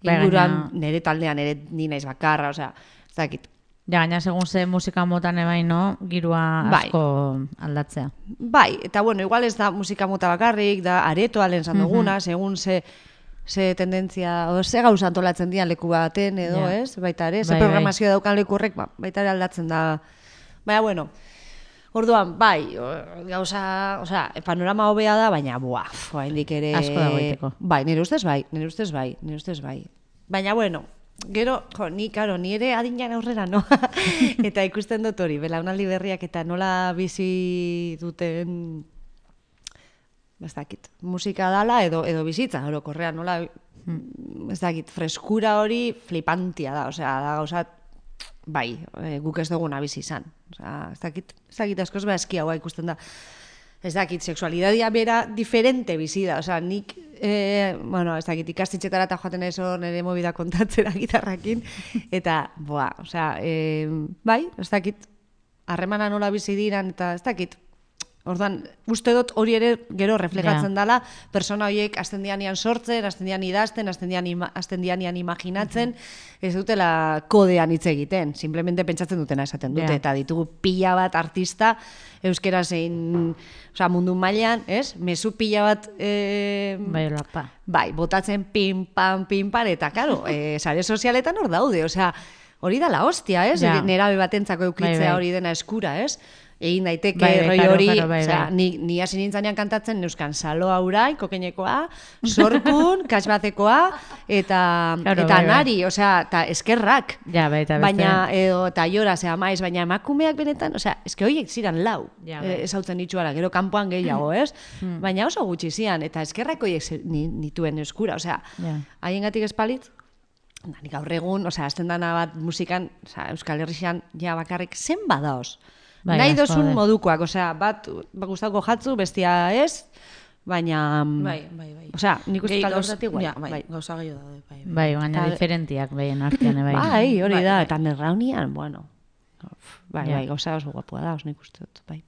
Bai, inguruan, gaina- nire taldean ere ni naiz bakarra, osea, ez dakit. Ja, gaina segun ze musika motan ebain, no? Girua Bai. asko aldatzea. Bai, eta bueno, igual ez da musika mota bakarrik, da aretoa lehen zan duguna, segun ze, ze tendentzia, o ze gauza antolatzen dian leku baten edo, Ja. ez? Baita ere, ze Bai, bai. programazio daukan leku horrek, ba, baita ere aldatzen da. Baina, bueno, orduan, bai, o- gauza, osea, panorama hobea da, baina, buah, oraindik ere... Asko dago egiteko. Bai, nire ustez bai, nire ustez bai, nire ustez bai. Baina, bueno, gero, jo, ni, karo, ni ere adinan aurrera, no? Eta ikusten dut hori, belaunaldi berriak eta nola bizi duten, ez dakit, musika dala edo edo bizitza, orokorrean, nola, ez dakit, freskura hori flipantia da, osea, da gauzat, bai, e, guk ez duguna bizi izan. Osea, ez dakit, ez dakit askoz beha eskiagoa ikusten da. Ez dakit, sexualidadia bera diferente bizi da, osea, nik, e, bueno, ez dakit, ikastitxetara eta joaten ez hor nire mobida kontatzera gitarrakin, eta, boa, osea, e, bai, ez dakit, harremana nola bizi diran, eta ez dakit, orduan, uste dut hori ere gero reflejatzen Ja. dela, persona horiek azten dianian sortzen, azten dian idazten, azten dian, ima, azten dianian imaginatzen, ez dutela kodean hitz egiten, simplemente pentsatzen dutena esaten dute, Ja. eta ditugu pila bat artista, euskera zein, osea, mundu mailan, ez? Mezu pila bat, e, Bai, lapa. bai, botatzen pin, pan, pin, pan, eta, karo, e, sare sozialetan hor daude, osea, hori da la hostia, ez? Ja. Nerabe batentzako eukitzea Bai, bai. hori dena eskura, ez? Egin daiteke Bai, bai, roi claro, hori, claro, bai, osea, bai. ni, ni hasi nintzanean kantatzen neuskan salo aurai, kokeinekoa, sorkun, kasbatekoa, eta, Claro, eta bai, bai. nari, osea, eta eskerrak. Ja, bai, eta beste... Baina, edo, eta jora, zera maiz, baina emakumeak benetan, osea, eske horiek ziran lau, Ja, e, bai. ezautzen itxuara, gero kanpoan gehiago, ez? Baina oso gutxi zian, eta eskerrak horiek ze- ni- nituen eskura, osea, Ja. haiengatik espalit, da, nik gaur egun, osea, azten dana bat musikan, osea, Euskal Herrixan, ja bakarrik zen badaoz. Bai, Nahi asko dozun daude. modukoak, osea, bat, bat gustauko jatzu, bestia ez, baina... Bai, bai, bai. Osea, nik uste Gehi talde gauza- horretatik, bai, ja, bai, bai. gauza gehiago daude, bai. bai. Bai, baina Eta- diferentiak behien artean, bai. Bai, hori Bai, da, bai. eta nerraunian, bueno, bai, Ja. bai, gauza oso guapua da, oso nik uste dut, bai.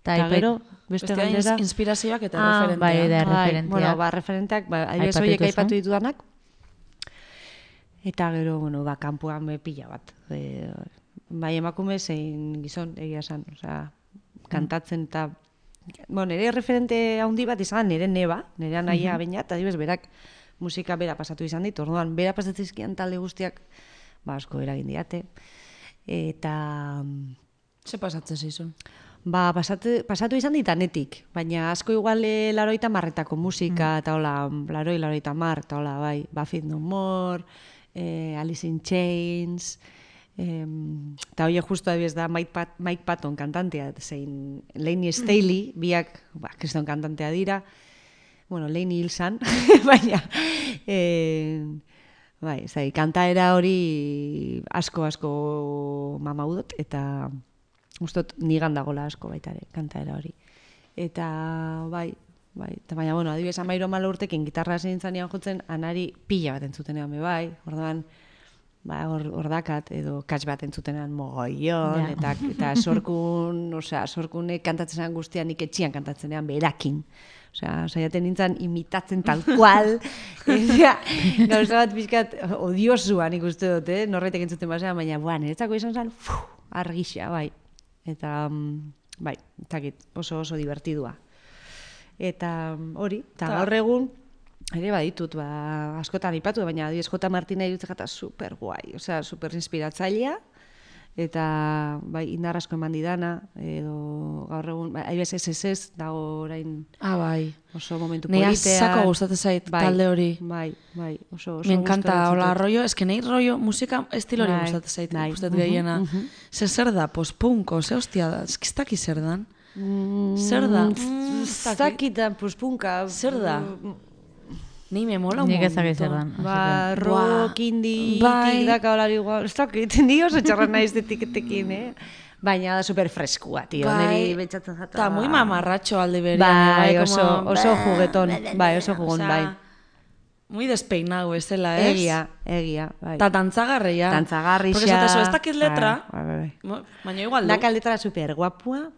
Ta Eta ipe- gero, beste Bestea ins- galdera... inspirazioak eta Ah, referenteak. bai, da, Bai, referenteak. bueno, ba, referenteak, ba, adibidez Aipatu horiek dituzu. aipatu ditudanak, eta gero, bueno, ba, kanpoan be pila bat. E, bai, emakume zein gizon, egia esan, osea, kantatzen eta... Bueno, nire referente handi bat izan, nire neba, nire anaia baina, eta adibidez, berak musika bera pasatu izan dit, orduan, bera pasatzizkian talde guztiak, ba, asko eragin diate. Eta... Ze pasatzen zizun? Ba, pasatu, pasatu izan ditanetik, baina asko igual e, laroita marretako musika, eta hola, laroi, laroita mar, eta hola, bai, Buffy No More, e, Alice in Chains, em, eta hori justo adibidez da Mike, Pat, Mike Patton kantantea, zein Lainey Staley, biak, ba, kriston kantantea dira, bueno, Lainey Hilsan, baina, e, bai, zai, kantaera hori asko, asko mamaudot, eta... Ustot nigan dagola asko baita ere, kantaera hori. Eta, bai, bai, eta baina, bueno, adibidez, amairo malo urtekin gitarra zintzanean jotzen, anari pila bat entzutenean be bai, orduan, ba, hor, hor dakat, edo katx bat entzutenean mogoion, Ja. eta, eta sorkun, osea, sorkunek kantatzen zen guztian, nik etxian kantatzenean berakin. Osea, saiaten nintzen imitatzen tal cual. Eta, gauza bat pixkat odiosua nik uste dut, eh? Norbaitek entzuten basean, baina, buah, niretzako izan zen, fuh, argixea, bai. Eta, mm, bai, etakit, oso oso divertidua. Eta mm, hori, eta Ta- gaur egun, ere baditut, ba, askotan ipatu, baina adibidez J. Martina irutzek eta super guai, osea, super inspiratzailea, eta bai, indar asko eman didana, edo gaur egun, bai, adibidez S S S dago orain Ah, bai. oso momentu Nei politean. asako gustatzen zait Bai, talde hori. Bai, bai, oso, oso Me encanta, gustatzen hola, zait. rollo, eske nei rollo, musika estilo hori Bai, gustatzen zait, bai. gustat Mhm, gehiena. mhm. Ze zer da, post-punko, ze hostia da, eski ez daki zer dan. Mm, Zer da? mm, Mm, ez dakit. Zakitan, puspunka. Zer da? Nei me mola un Nik ez dakit montón. zer dan. Ba, así rock, indie, Bai. tik daka holari igual. Ez dakit, ni oso txarra naiz etiketekin, eh? Baina da super freskua, tio. Neri betxatzen jata. Ta muy mamarratxo alde berean. Bai, como- oso, oso jugueton. Bai, oso jugon, Osea, bai. Muy despeinado ez dela, ez? Egia, egia, bai. Ta dantzagarria. Dantzagarrixa. Porque esatezu, ez dakit letra, Bai, bai, bai. mo- baina igual du. Daka letra super guapua.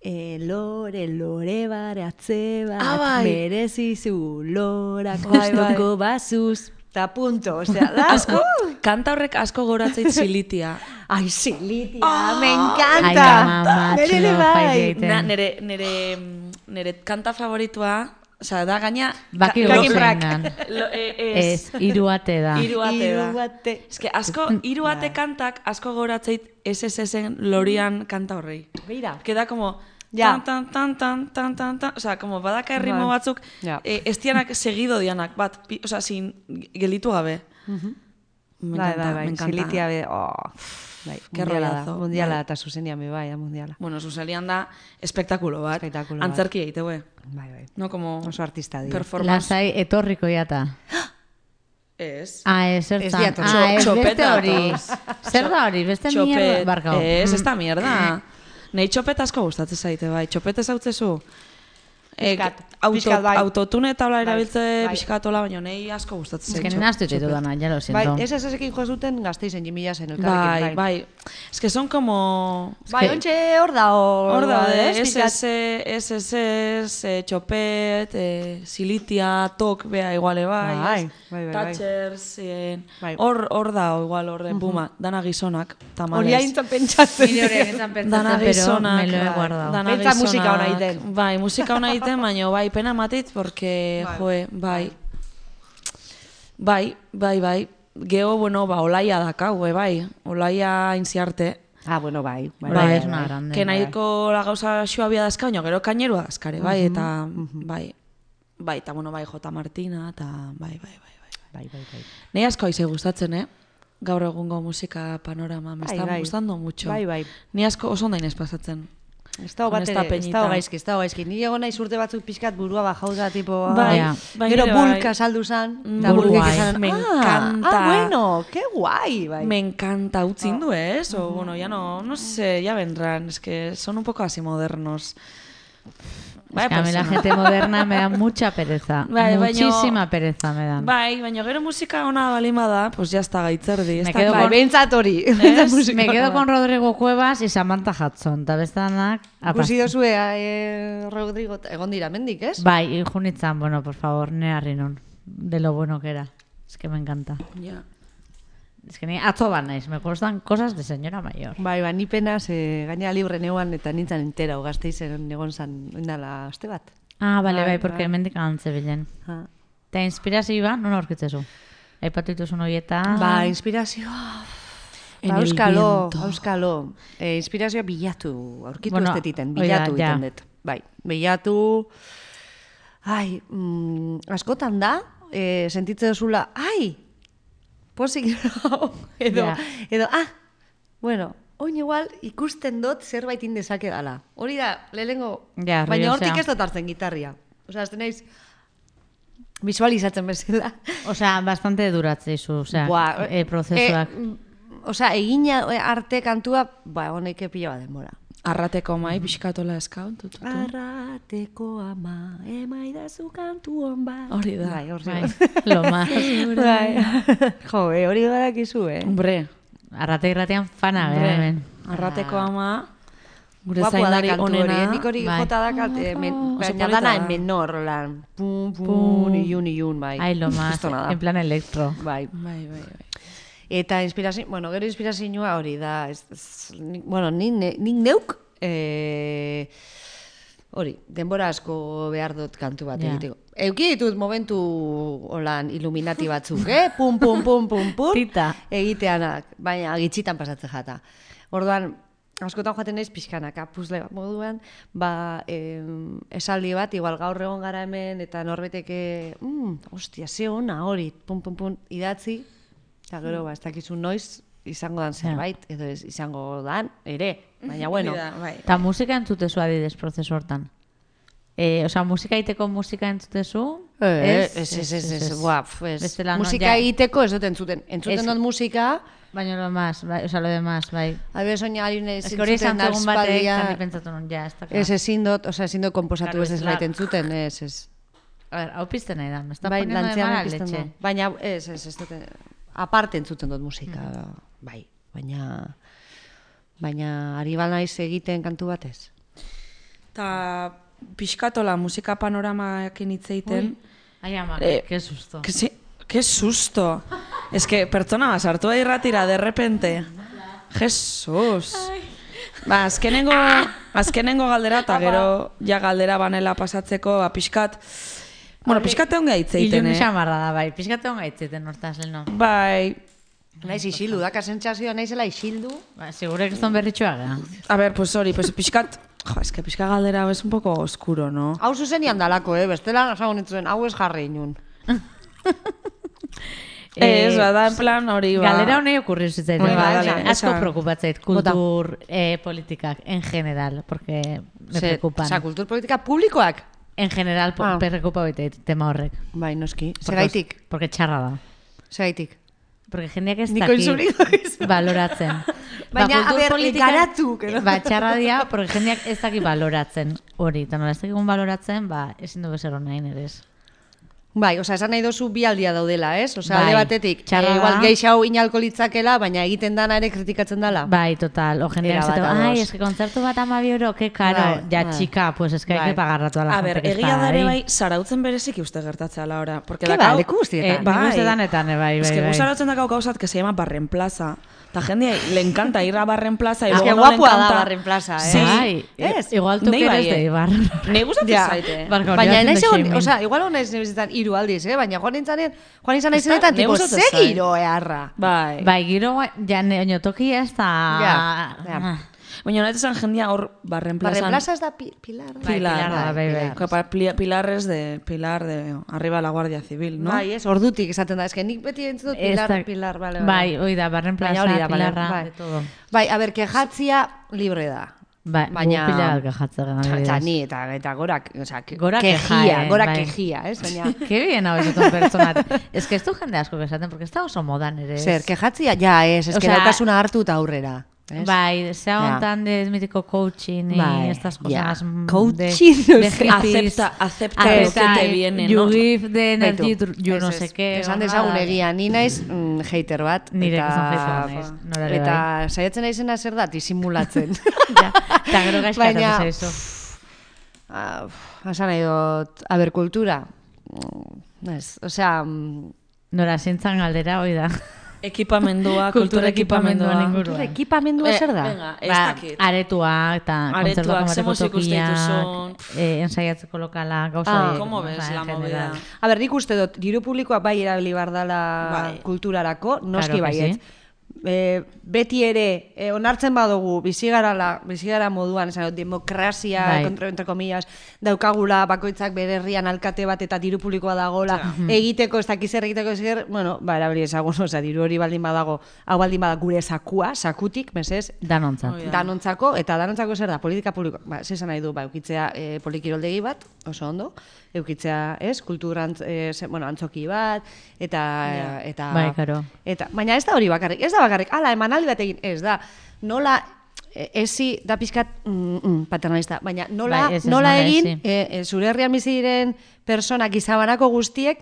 E, lore, lore baratze bat, Ah, bai. merezizu lorak Bai, kostoko bazuz. Ta punto, osea, da. Asko, kanta horrek asko goratzeit zilitia. Ai, Silitia, Ah! me Ai, encanta. ama, Nere ere matxo, bai. faiteite. Na, nere, nere, nere kanta favoritua, osea, da gaina... Baki ka- gozen brak. dan. Lo- e- Ez, Ez, hiru ate da. hiru ate da. Hiru ate. Ez que asko, hiru ate kantak asko goratzeit S S S-en lorian kanta horrei. Beira. Queda como... Ja. Tan, tan, tan, tan, tan, tan, osea, como badaka erritmo Bai. batzuk, Ja. eh, ez dianak segido dianak, bat, pi, osea, sin gelitu gabe. Me Bai, encanta, bai, me bai, encanta. Silitia be, oh, bai, Qué mundiala da, rolazo, mundiala bai. da, eta zuzenian be, bai, da mundiala. Bueno, zuzelian da espektakulo bat. Espektakulo bat. Antzerki egiteue. Bai, bai. No, como... Oso artista dira. Performance. Lasai etorriko jata. Ez. Ah, ez, zertan. Ez diator. Ah, ez, beste Txopeta hori. datoz. Zer da hori, beste mierda. Barkau. Ez, ez da mierda. Nei txopet asko gustatzen zaite, bai. Txopet ez hautzezu. Pixkat, auto, pixkat, bai. Autotune eta hola Bai, erabiltze bai. pixkatola, baina nei asko gustatzen Ez que zaite. nena astu ditu dana, ya lo Bai, siento. ez ez ezekin jo zuten gazteizen jimila zen Bai, elkarrekin, bai. Ez que son como... Bai, que- ontxe hor da, Hor da, ez? S Pixkat. S S, S S, eh, txopet, eh, silitia, tok, bea iguale bai. Bai, ez? bai, bai, bai. Touchers, eh, Bai. hor hor da igual horre, buma, dana gizonak, tamales. Hori haintzan pentsatzen. Nire hori egiten Dana pentsatzen, pero gizonak, me lo he bai, guardado. dana Pentsa gizonak. musika ona egiten. Bai, musika ona egiten, baina bai, pena matit, porque, Bai. joe, bai. Bai, bai, bai. Geo, bueno, ba, olaia dakau, eh, bai. Olaia inziarte. Ah, bueno, bai. Bai, es una grande. Que nahiko la gauza xuabia dazka, baina gero kainerua dazkare, bai, eta, mhm. bai. Bai, eta, bueno, bai, J. Martina, eta, bai, bai, bai, bai. Bai, bai, bai. Nei asko aize gustatzen, eh? Gaur egungo musika panorama, me Bai, está bai. gustando mucho. Bai, bai. Ni asko oso ondainez pasatzen. Ez dago bat Con esta ere, ez peñita. dago gaizki, ez dago gaizki. Ni egon naiz urte batzuk pixkat burua bajau da, tipo... Bai, Ja. bai, Gero nire bai. bulka saldu zan, eta Mm, bulkek guai. izan, Me ah, encanta. ah, bueno, qué guai, bai. Me encanta utzin du, ¿es? O bueno, ya no, no sé, ya vendrán, es que son un poco así modernos. Bai, Es que a mí la persona. gente moderna me da mucha pereza. Bai, baino- Muchísima pereza me dan. Bai, baina gero musika ona balima da, pues ya está gaitzerdi. ez Me da- quedo Bai, con- behintzat hori. Ez? Me quedo con Rodrigo Cuevas y Samantha Hudson. Ta bestanak... Ikusi dozue, eh, Rodrigo, egon dira mendik, ez? Bai, junitzan, bueno, por favor, ne harri non. De lo bueno que era. Es que me encanta. Ja. Es que ni atzo bat naiz, me gustan cosas de señora mayor. Bai, ba, ni penaz, eh, gaina libre neuan eta nintzen entera, gazteizen egon zan, indala aste bat. Ah, bale, Bai, bai, porque bai. hemendik antze bilen. Ha. Eta inspirazioa, non aurkitzezu? Aipatu dituzun horietan... Ba, inspirazioa... En Ba, el euskalo, viento. euskalo. E, inspirazioa bilatu, aurkitu Bueno, bueno, ez detiten, hori da, bilatu ja. egiten dut. Bai, bilatu... Ai, mm, askotan da, e, sentitzen duzula, ai, posik nao, edo, Ja. edo, ah, bueno, oin igual ikusten dut zerbait indezake dala. Hori da, lehenengo, Ja, baina rollo, hortik osea. ez dut hartzen gitarria. Osea, azten naiz, visualizatzen bezala. Osea, bastante duratzeizu, osea, Buah, e, prozesuak. E, mm, osea, egina eh, arte kantua, ba, honek pila bat denbora. Arrateko mai, pixkatola eskau. tu, tu, tu. Arrateko ama, emaidazu kantu hon bat. Hori da. Bai, hori Bai, da. lo más. Bai. Jo, eh, hori badakizu, eh? Hombre, Arrate irratian fana, hombre, gara hemen. arrateko ama, gure Guapua da zaindari kantu hori, onena. eh? Nik hori bai. jota dakat, eh, men, Oso baina polita dana da. en menor, lan. Pum, pum, Pum. ilun, ilun, bai. Ai, lo más, Kristona da. en plan electro. Bai. Bai, bai, bai. Eta inspirazio, bueno, gero inspirazioa hori da, ez, ez, nik- bueno, nik, ne, nik neuk, eh, hori, denbora asko behar dut kantu bat Ja. egiteko. Euki ditut momentu holan iluminati batzuk, eh? Pum, pum, pum, pum, pum. Tita. Egiteanak, baina gitxitan pasatzen jata. Orduan, askotan joaten naiz pixkanaka, puzle bat moduan, ba, em, esaldi bat, igual gaur egon gara hemen, eta norbeteke, mm, ostia, ze ona hori, pum, pum, pum, idatzi, eta gero, ba, ez dakizu noiz, izango dan zerbait, edo ez izango dan, ere, baina bueno. Hori da, bai. Eta musika entzutezu adidez prozesu hortan. E, osea, musika egiteko musika entzutezu? Eh, Ez, ez, ez, ez, ez, buah, pf, ez. Bestela, no, Musika ja- egiteko ez dut entzuten. Entzuten Ez- dut musika, Baina lo más, bai, osea, lo demás, bai. abe soña ari naiz Ez que hori esan entzuten zegoen batek, eta aspaldia. ni pentsatu nun, ja, ez da Ez ezin dut, osea, ezin dut komposatu Claro, ez ez ez bait la- entzuten, ez, ez. A ver, hau pizten nahi da, me está Bai, poniendo de lantzean mala pizten leche. du. Baina, ez, ez, ez dut, aparte entzuten dut musika, bai, baina, baina ari naiz egiten kantu batez. Ta pixkatola musika panoramaekin hitz egiten. Ai, ama, Eh, qué susto. Que sí, qué susto. Es que pertsona bat sartu da irratira de repente. Jesus. Ba, azkenengo, azkenengo galdera, eta gero ja galdera banela pasatzeko, ba, pixkat, bueno, pixkat egon hitz egiten, Ilun eh? xamarra da, bai. Pizkate hon gaitzeten hortaz, leno. Bai, Naiz isildu, daka sentsazioa naizela isildu. Ba, segure que eston berritxoa gara. a ver, pues hori, pues pixkat, jo, es que pixka galdera es un poco oscuro, no? Hau zuzenian dalako, eh? Bestela, esango nintzen, hau ez jarri inun. Eh, Ez, da, en plan hori, ba. Galera honei okurri zitzaiten, Venga, ba, dale, asko esan. preocupatzait, kultur, eh, politikak, en general, porque me Ze- preocupan. Osea, kulturpolitika publikoak? En general, po, Ah. preocupa baitait tema horrek. Bai, noski. Porque- Zeraitik, Porque txarra da. zeraitik. Porque jendeak ez Niko daki inzuriko izan. baloratzen. Baina, a kultur ber, politika- garatu, que no? Ba, txarra dia, porque jendeak ez daki baloratzen hori. Eta nola ez dakigun baloratzen, ba, ezin du bezer honain ere ez. Bai, osea, esan nahi dozu bi aldia daudela, ez? Osea, Bai, alde batetik, txarra eh, igual da. geixau inalko litzakela, baina egiten dana ere kritikatzen dala. Bai, total. O jendeak Era bat esateko, ados. ai, es que kontzertu bat amabi euro, que caro. Bai, Ja, bai. chica, pues es que hay Bai. que pagar a toda la A gente ber, que está egia da ere ahí. bai, zarautzen bereziki uste gertatzea la hora. Porque Ke dakau- ba, leku guztietan. Eh, Bai. nik uste danetan, eh, bai, Es bai, que bai. gu zarautzen dakau gauzat que se llama Barren Plaza. Ta jende le encanta ir a Barren Plaza y Es luego que no le guapua da encanta. Barren Plaza, eh? Sí. Bai, Ez? igual tú Nei que bai, eres de eh. Ibar. Nei gustatzen Ja. zaite. Barka, hori Baina haciendo naiz egon, shaming. osea, igual hona ez nebizitan hiru aldiz, eh? Baina joan nintzanean, joan izan naizenetan, Ez da, tipo, ne gustatzen ze zait. giro eharra. Bai. Bai, giro, ja, ne, oino tokia ez da... Ja, ja. Baina nahi esan jendia hor Barren Plazan. Barren Plaza ez da pi, Pilar. Bai, Pilar, Pilar da, bai, bai. Pilar. Que pa- pli- Pilares de Pilar de arriba la Guardia Civil, ¿no? Bai, ez, ordutik esaten da, eske nik beti entzun dut Ez Pilar, da- Pilar, bale, bale. Bai, hoi da, Barren Baina Plaza, hori da, bale, Pilarra, bai. de todo. Bai, a ber, kejatzia libre da. Bai, Baina- gu pila bat kejatzen gara, Eta adibidez. ni, eta, eta gora, osea, ke- Gora kejia, keja, eh, gora bai. kejia, ez? Baina, Qué bien hau esatun pertsonat. Es que ez du jende asko esaten, porque ez da oso modan ere. ez. zer, kejatzia, ja, ez, ez, que Osea- daukasuna hartu eta aurrera. ¿ves? Bai, se aguantan de mítico coaching y Bai, estas ya. cosas mm, Coaching, de, o de sea, hippies. acepta- acepta lo que te viene, You ¿no? give the energy, Baitu, you ez, no ez, sé qué. Esan horrela. dezagun egia, ni naiz mm, hater bat. Nire eta, gizon hater naiz, norare Eta bai. saiatzen naizena zer da, disimulatzen. Ja, eta gero gaizkatu Baina, zaizu. Ah, Esan nahi dut, a ber, kultura. Mm, Ez, osea, mm, Nora, zintzan galdera, hoi da. Ekipamendua, kultura ekipamendua. inguruan. kultura ekipamendua zer da? Venga, ez Ba, dakit. aretuak eta Aretuak, kontzertuak ze emateko musika uste dituzun? tokiak, eh, ensaiatzeko lokala, gauza Ah, horiek, ¿cómo osea, ves en la general. movida? A ber, nik uste dut, diru publikoa bai erabili behar dela Bai. kulturarako, noski Claro que baiet. sí. E, beti ere, e, onartzen badugu, bizigarala, bizigara moduan, esan dut, demokrazia, Bai. entre, entre comillas, daukagula, bakoitzak bere herrian alkate bat eta diru publikoa dagola, egiteko, ez dakiz zer egiteko, ez zer, bueno, ba, erabili ezagun, osea, diru hori baldin badago, hau baldin bada gure sakua, sakutik, mesez, Danontzat. Hoi da. danontzako, eta danontzako zer da, politika publiko, ba, zesan nahi du, ba, eukitzea e, polikiroldegi bat, oso ondo, eukitzea, ez, kulturantz, e, ze, bueno, antzoki bat, eta, eta, Bai, karo. eta, baina ez da hori bakarrik, ez da bakarrik, ala, emanaldi bat egin, ez da, nola, e, ezi, da pizkat, mm, mm, paternalista, baina nola, Bai, ez, ez, nola nola egin, ezi. e, e, zure herrian bizi diren personak izabanako guztiek,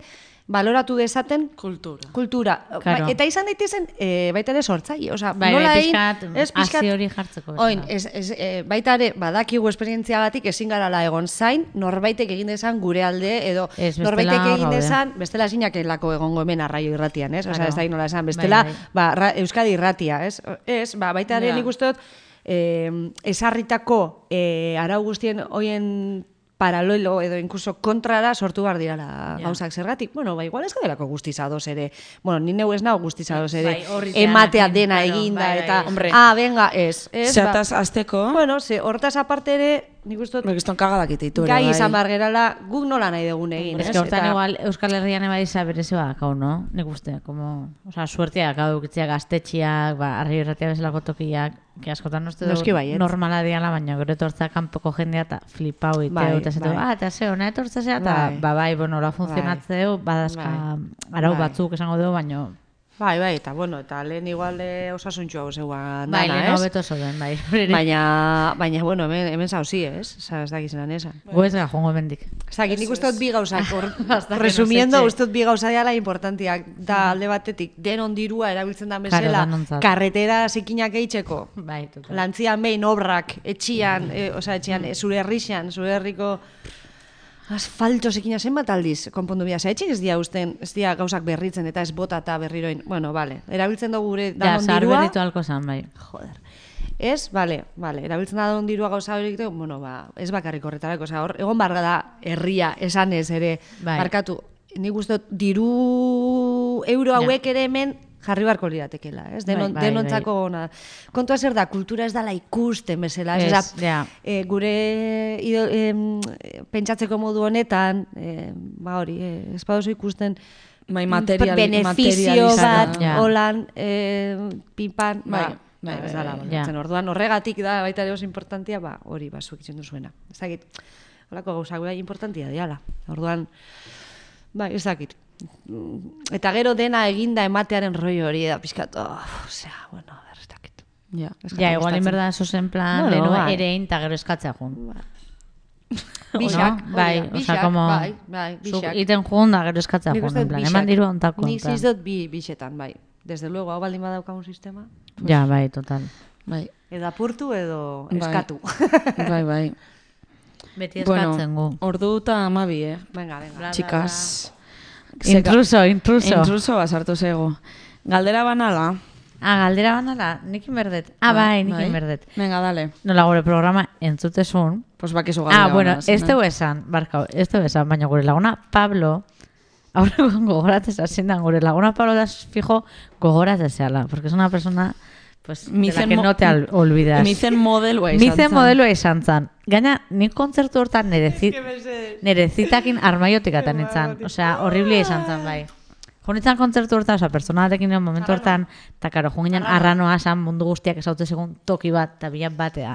baloratu dezaten Kultura. kultura. Claro. Ba, eta izan daitezen e, baita ere sortzaile, osea, Bai, nola bai, egin, pixkat, ez, pixkat, hasi hori jartzeko bezala. oin, ez, ez, e, baita ere, badakigu esperientziagatik ezin garala egon zain, norbaitek egin dezan gure alde, edo Ez, bestela norbaitek hor egin gaude. dezan, bestela ezinakelako egongo hemen arraio irratian, ez? Osea, Claro. ez da nola esan, bestela, Bai, bai. ba, ra, Euskadi irratia, ez? Ez, ba, baita ere Ja. nik uste dut, eh, esarritako eh, arau guztien hoien paralelo edo inkluso kontrara sortu behar dirala Ja. gauzak zergatik. Bueno, ba, igual ez gadelako guztiz ados ere. Bueno, ni neu ez nau guztiz ados ere. Bai, horri ematea teanakin, dena claro, eginda bai, bai, eta, hombre. ah, venga, ez. ez Zeataz azteko, Bueno, ze, hortaz aparte ere, nik uste dut, Kriston kagadak ititu ere, gai bai. izan behar gerala, guk nola nahi dugun egin, Es ez? que hortan Eta- igual Euskal Herrian eba iza berezi badakau, no? Nik uste, como, o sea, suerteak hau dukitzea gaztetxiak, ba, arri irratia bezalako tokiak, que askotan uste Noski du baietz. normala diala, baina gero etortza kanpoko jendea eta flipau ite, Bai, eta esatu, bai. ah, eta ze, hona etortza zea, eta Bai. ba, bai, bueno, la funtzionatzeu, badazka arau Bai. batzuk esango dugu, baina Bai, bai, eta bueno, eta lehen igual de osasuntxu hau zeuan bai, dana, lehen ez? hobeto zoden, bai. Baina, baina, bueno, hemen, hemen zauzi, ez? Osa, ez dakizenan esan. Gu ez gara jongo bendik. Zagit, nik uste dut bi gauzak, hor, Hasta que resumiendo, nos eche. uste dut bi gauza diala importantiak. Da alde batetik, denon dirua erabiltzen da bezala, Claro, danontzat. karretera zikinak eitzeko, Bai, total. lantzian behin obrak, etxian, e, osea, etxian, e, zure herrixan, zure herriko asfalto zekina zenbat aldiz konpondu bia. Etxik ez dia usten, ez dia gauzak berritzen eta ez bota eta berriroin. Bueno, vale, erabiltzen dugu gure Ja, danon zahar dirua. berritu alko zan, bai. Joder. Ez, bale, bale, erabiltzen da danon dirua gauza hori egiteko, bueno, ba, ez bakarrik horretarako, osea, hor, egon barga da herria esanez ere, Bai. barkatu. Nik uste dut diru euro hauek ere hemen jarri barko liratekela, ez? Denon, Bai, bai, denontzako ona. Kontua zer da, kultura ez dala ikusten bezala, ez? Ez, Osea, ja. e, gure ido, em, pentsatzeko modu honetan, e, ba hori, e, ez baduzu ikusten Bai, material, benefizio bat, materializada. Ja. holan, e, pinpan, Bai, ba, bai, ba, bai, ez dala, bai. baloratzen. Ja. Orduan horregatik da baita ere oso importantia, ba, hori ba zuek itzen duzuena. Ez dakit, holako gauzak bai importantia diala. Orduan, bai, ez dakit. Eta gero dena eginda ematearen rollo hori da pizkat, oh, osea, bueno, a ver, ez dakit. Ja. Ez Ja, jat igual en gustatzen. verdad eso en plan, Bueno, leno bai. ere eta gero eskatzea jun. Bixak, No? Bai, hori da, o sea, bixak, como bai, bai, zuk bixak. iten jun da gero eskatzea Nik jun, uste en dut plan, bixak. eman diru ontako. Nik en plan. ziz dut bi bixetan, bai. Desde luego, hau baldin badaukagun sistema, Ja, bai, total. Bai, edo apurtu edo Bai. eskatu. bai, bai. Beti Bueno, eskatzen gu. ordu eta amabi, eh? Venga, venga. Bla, Txikas. Intruso, intruso. Intruso basartu zego. Galdera banala. Ah, galdera bandala, nikin berdet. Ah, bai, nikin berdet. Venga, dale. Nola gure programa entzutezun. Pues bakizu galdera Ah, bueno, banala, ez zena. dugu esan, barkau, ez dugu esan, baina gure laguna Pablo, aurrekoan gogoratzez asindan, gure laguna Pablo da fijo gogoratzezeala, porque es una persona pues, de la Micen que mo- no te al- olvidas. Mizen modelua izan Mizen zen. modeloa izan zan. Gaina, nik kontzertu hortan nere, zit, nere zitakin armaiotik atan nintzen. Osea, horriblia izan zan, bai. Junitzen kontzertu hortan, osea, personalatekin nire momentu hortan, eta karo, junginen arranoa zan mundu guztiak ezautze segun toki bat, eta bilan batea.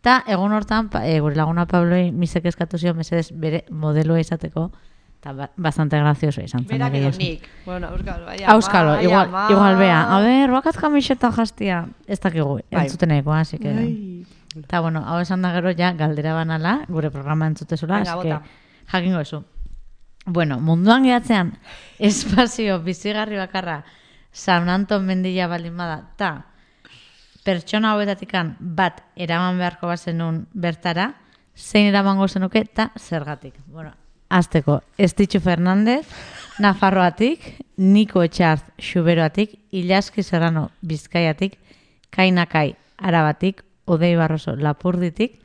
Eta egun hortan, pa, e, gure laguna Pabloi misek eskatu zion, mesedez bere modeloa izateko, Eta ba, bastante gracioso izan zen. Berak egia edo esan. nik. Bueno, Euskalo, bai, Auskalo, ama, igual, ama. igual bea. A ber, bakat kamiseta jastia. Ez dakigu, Bai. entzuteneko, así que... Ai. Eta, bueno, hau esan da gero ja galdera banala, gure programa entzutezula, Venga, así que bota. jakingo ezu. Bueno, munduan gehatzean, espazio bizigarri bakarra San Anton mendila baldin bada, ta pertsona hauetatikan bat eraman beharko bazenun bertara, zein eramango zenuke, ta zergatik. Bueno, azteko, Estitxu Fernandez, Nafarroatik, Niko Etxarz Xuberoatik, Ilaski Serrano Bizkaiatik, Kainakai Arabatik, Odei Barroso Lapurditik,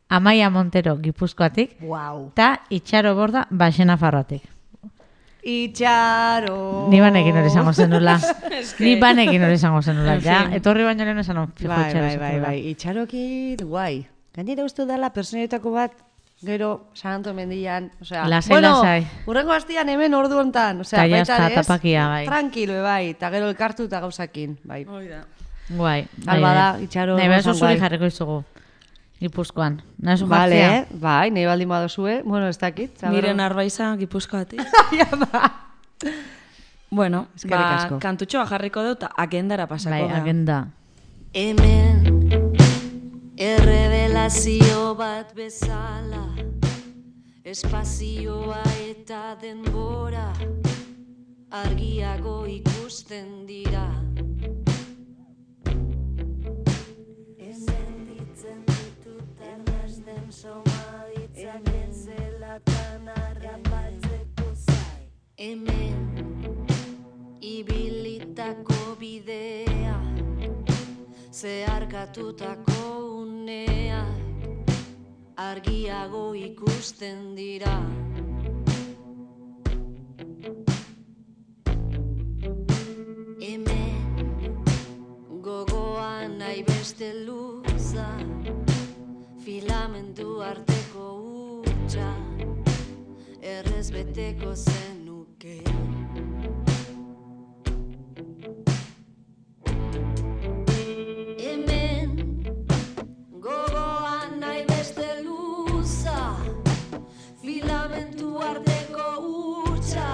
Amaia Montero Gipuzkoatik, Wow. eta Itxaro Borda Baxe Nafarroatik. Itxaro. Ni banekin hori izango zenula. Ni banekin hori izango zenula. Ja, etorri baino lehen esan hon, fijo Bai, Itxaro bai, bai, zenula. bai. Itxarokin, guai. Gainera uste dela personetako bat, gero San Anton mendian, osea, Lasai, bueno, lasai. urrengo astian hemen ordu hontan, osea, Ta ya baita está, ere ez, tapakia, bai. tranquilo, bai, eta gero elkartu eta gauzakin, bai. Hoi da. Guai. bai, Alba da, bai. Itxaro Nahi behar osan zuzuri guai. jarriko izugu. Gipuzkoan. Nahi zu Vale, jartzea? bai, nahi baldin badozue, bueno, ez dakit. zaber- Miren Arbaiza Gipuzkoatik. Bueno, Eskerrik ba, asko. kantutxoa jarriko dut, eta agendara pasako Bai, da. agenda. Hemen errevelazio bat bezala, espazioa eta denbora argiago ikusten dira. Sentitzen ditut arnasten somaditzak etzelatan harrapatzeko zai. Hemen ibilitako bidea, zeharkatutako uneak argiago ikusten dira. Hemen gogoan nahi beste luza, filamentu arteko hutsa, errez beteko zenuke. Hemen gogoan nahi beste luza, filamentu arteko hutsa,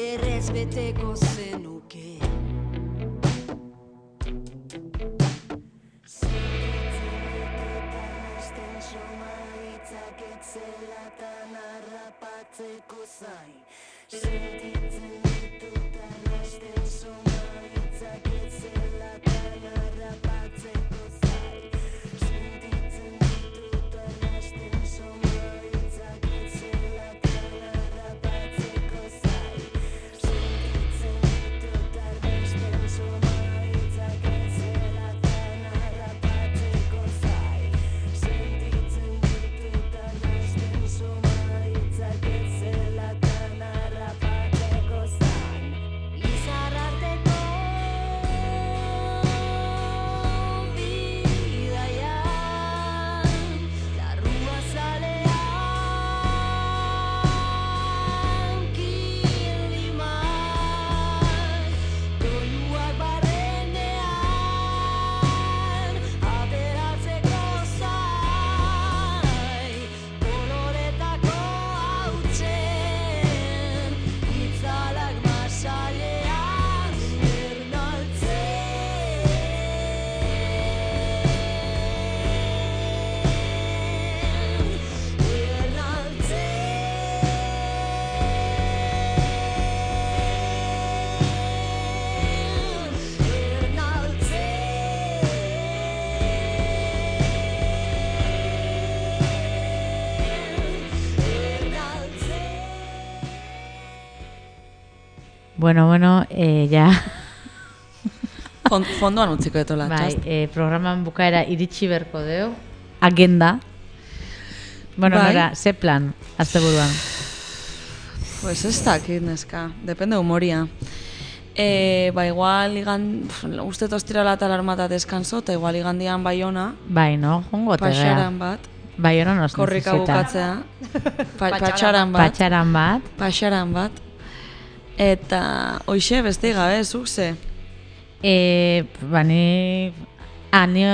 errez beteko zenuke. Etzelatan harrapatzeko zai. Sentitzen ditut arrasten somaitzak etzelatan harrapatzeko zai. Sentitzen ditut arrasten somaitzak etzelatan harrapatzeko zai. Sentitzen ditut arrasten somaitzak etzelatan harrapatzeko zai. Sentitzen ditut arrasten somaitzak etzelatan harrapatzeko zai. Izarrarteko bidaian, larrua zalean kilimak, doinuak barrenean ateratzeko zai, koloretako hautsen itzalak masailean Bueno, bueno, eh, ja... Fond, fondoan utziko etola, Bai, txast. eh, programan bukaera iritsi berko deu. Agenda. Bueno, Bai. nora, ze plan, asteburuan? Pues ez dakit, neska. Depende humoria. E, ba, igual, igan, uste tostirala eta larmata deskanso, eta igual igandian Baiona, Bai, no? Jongo tegea. paxaran bat, Bai, hori nos korrika necesita. bukatzea, pa, patxaran bat, Patxaran bat. paxaran bat, eta hoxe beste gabe, zuk ze. E, ba, ni... Ah, ni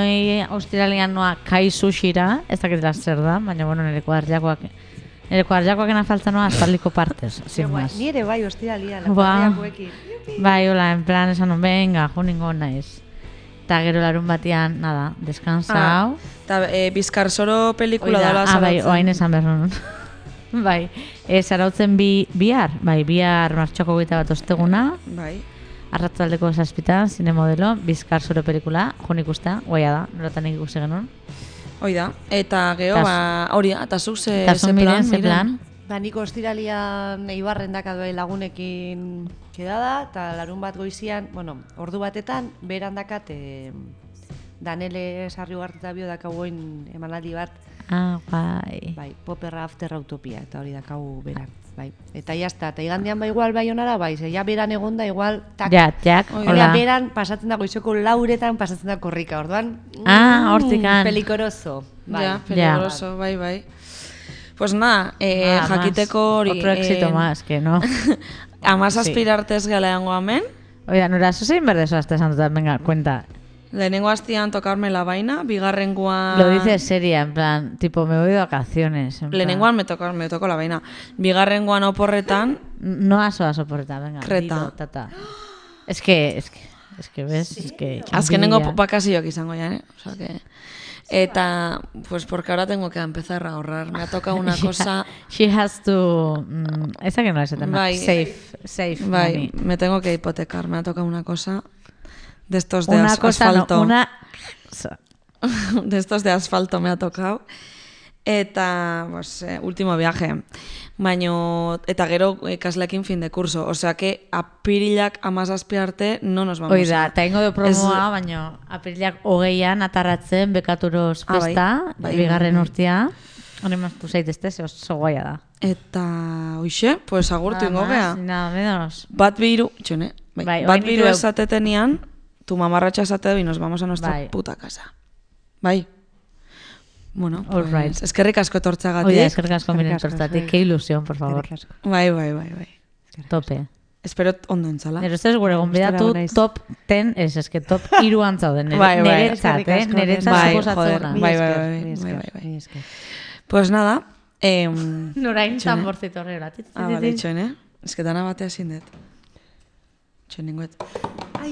australian noa kai sushira, ez dakitela zer da, baina, bueno, nire kuadriakoak Nire kuarjakoak falta noa aspaldiko partez, sin más. Ni ere bai, ostiralia, Ba. laparriakoekin. Bai, hola, en plan, esan non, venga, jo ningo naiz. Eta gero larun batian, nada, deskansa hau. Eta e, Bizkarsoro pelikula Oida, dela ah, bai, zarautzen. oain esan behar nun. Bai, e, zarautzen bi, bihar, bai, bihar martxoko gita bat osteguna, Bai. arratzaldeko zazpitan, zine modelo, Bizkarsoro pelikula, jo nik usta, guaia da, nolatan ikusi genuen. Hoi da. Eta gero, Tas- ba, hori, eta zuk ze, Eta ze zun plan, miren, ze Miren? plan. Ba, nik ostiralian eibarren dakadoe lagunekin kedada, eta larun bat goizian, bueno, ordu batetan, beran dakat, e, Danele sarri ugarte eta bio dakagoen emanaldi bat, Ah, bai. bai, Popperra After Utopia, eta hori dakagu beran, bai. Eta jazta, eta igandean ba igual bai honara, bai, ze ja beran egonda igual, tak, Ja, jak, Oi, Hola. hola. Beran pasatzen da goizoko lauretan pasatzen da korrika, orduan. Ah, hortikan. Pelikoroso. Bai. Ja, peligroso, bai, bai. Pues nada, eh, Nada más. jakiteko hori... Otro éxito eh, más, que no. Amazazpir artez galeango hemen. Oida, nora, zuzein berdezo azte santutan, venga, cuenta. Lehenengo hastian tokarme la vaina, bigarrengoan... Lo dices seria, en plan, tipo, me voy de vacaciones. en plan. Lehenengoan me tocó, me tocó la vaina. Bigarrengoan oporretan, No aso a soportar, venga. Kreta. dilo, tata. Es que, es que, es que ves, es que... azkenengo envidia. bakazioak izango ya, ¿eh? O sea que... Eta, pues porque ahora tengo que empezar a ahorrar. Me ha tocado una cosa... She has to... Mm, esa que no es tema. Bai. Safe, safe Bai, money. me tengo que hipotecar. Me ha tocado una cosa de estos de Una as- cosa, asfalto. no, una... de estos de asfalto me ha tocado. Eta, pues, eh, último viaje. Baino, eta gero ikasleekin fin de curso. O sea que apirilak amazazpi arte no nos vamos Oida, a... eta ingo de promoa, Ez- baino apirilak hogeian atarratzen bekaturos Ah, bai. festa, Bai, bigarren bai. urtia. Hori maztu zaitezte, ze oso goia da. Eta, hoxe, pues agurtu ingo Nada gea. más, ni nada menos. Bat biru, txone, bai, Bai, bat orain biru ditu- esatetenian, tu mamarratxa esate y nos vamos a nuestra Bai. puta casa. Bai. Bueno, All pues, right. eskerrik asko etortzagatik. Oida, eskerrik asko Eskerrik miren asko, tortatik, zuei. que ilusión, por favor. Eskerrik asko. Bai, bai, bai, bai. Tope. Espero ondo entzala. Nero ustez gure gonbidatu Gustora naiz. top ten, ez, eske top iruan zauden. Nere- Bai, bai. Neretzat, Eskerrik eh? asko, Neretzat bai, suposatzen joder, da. Mila bai, esker, bai, mila bai, esker, bai, bai. mila esker. Pues nada, eh, Norain Txone. tambortzito horrela. ah, vale, itxoen, Es que dana batea ezin dut. Itxoen ninguet. Ai,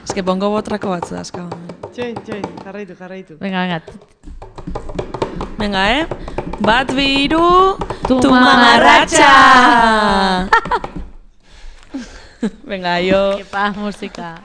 Es que pongo botrako batzu dazka. txoin, txoin, jarraitu, jarraitu. Venga, venga. Venga, eh? Bat biru, Tu tu mamarratxa! Venga, yo. Epa, musika.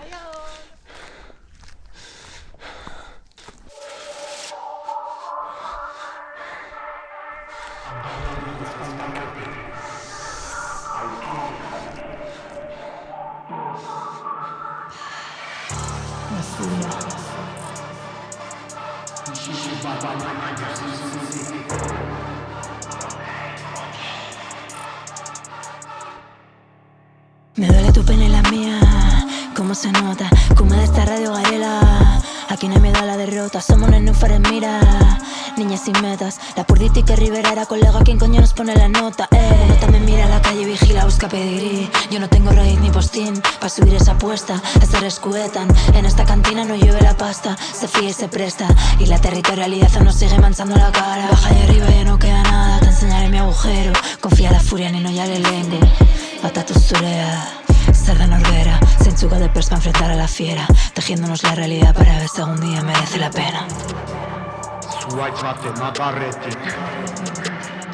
Me duele tu pena y la mía, cómo se nota, come de esta radio garela. Aquí no hay miedo a la derrota, somos unos núfares, mira. Niñas sin metas, la purdita y que Rivera era colega, ¿quién coño nos pone la nota? Eh, uno también mira a la calle y vigila, busca pedigrí. Yo no tengo raíz ni postín, pa' subir esa apuesta. Estar escuetan, en esta cantina no llueve la pasta. Se fía y se presta, y la territorialidad nos sigue manchando la cara. Baja de arriba ya no queda nada, te enseñaré mi agujero. Confía la furia, ni no ya le lengo. Patatu zurea, zer da norbera, zeintzuk de pers pa' enfrentar a la fiera, tejiéndonos la realidad para ver si algún día merece la pena. Zuaitz baten adarretik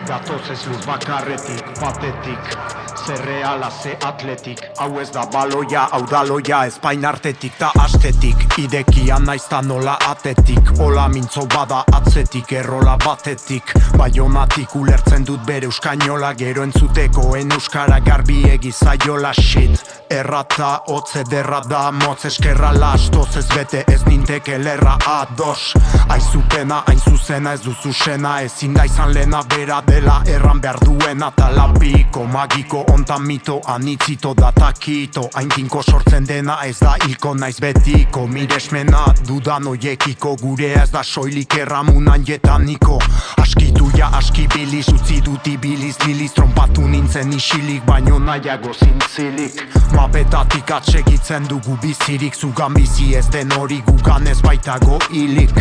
Gatoz ez lur bakarretik, batetik Ze reala, ze atletik Hau ez da baloia, hau daloia Espain artetik ta astetik Idekian naizta nola atetik Ola mintzo bada atzetik, errola batetik Baionatik ulertzen dut bere euskainola Gero entzuteko en euskara garbi egizaiola shit Errata, hotze derra da, motz eskerra lastoz Ez bete ez ninteke lerra ados Aizupena, hain zuzena ez duzu sena Ezin da izan lena bera dela erran behar duena Talapiko, magiko, ontan mito, anitzito da takito Hain tinko sortzen dena ez da hilko naiz betiko Miresmena dudan oiekiko Gurea ez da soilik erramunan jetaniko Askitu ja aski biliz, utzi dut ibiliz Liliz trompatu nintzen isilik, baino nahiago zintzilik Mapetatik atsegitzen dugu bizirik Zugan bizi ez den hori gugan ez baitago hilik.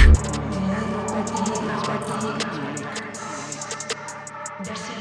Versi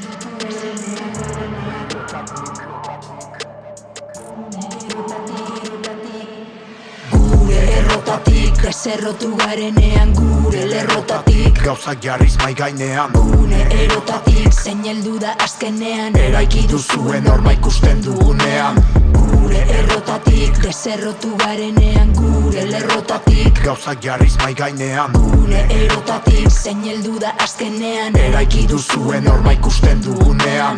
errotatik Deserrotu garenean gure lerrotatik Gauzak jarriz mai gainean Gune erotatik zein heldu da azkenean Eraiki duzuen norma ikusten dugunean Gure errotatik Deserrotu garenean gure lerrotatik Gauzak jarriz mai gainean Gune erotatik zein heldu da azkenean Eraiki duzuen norma ikusten dugunean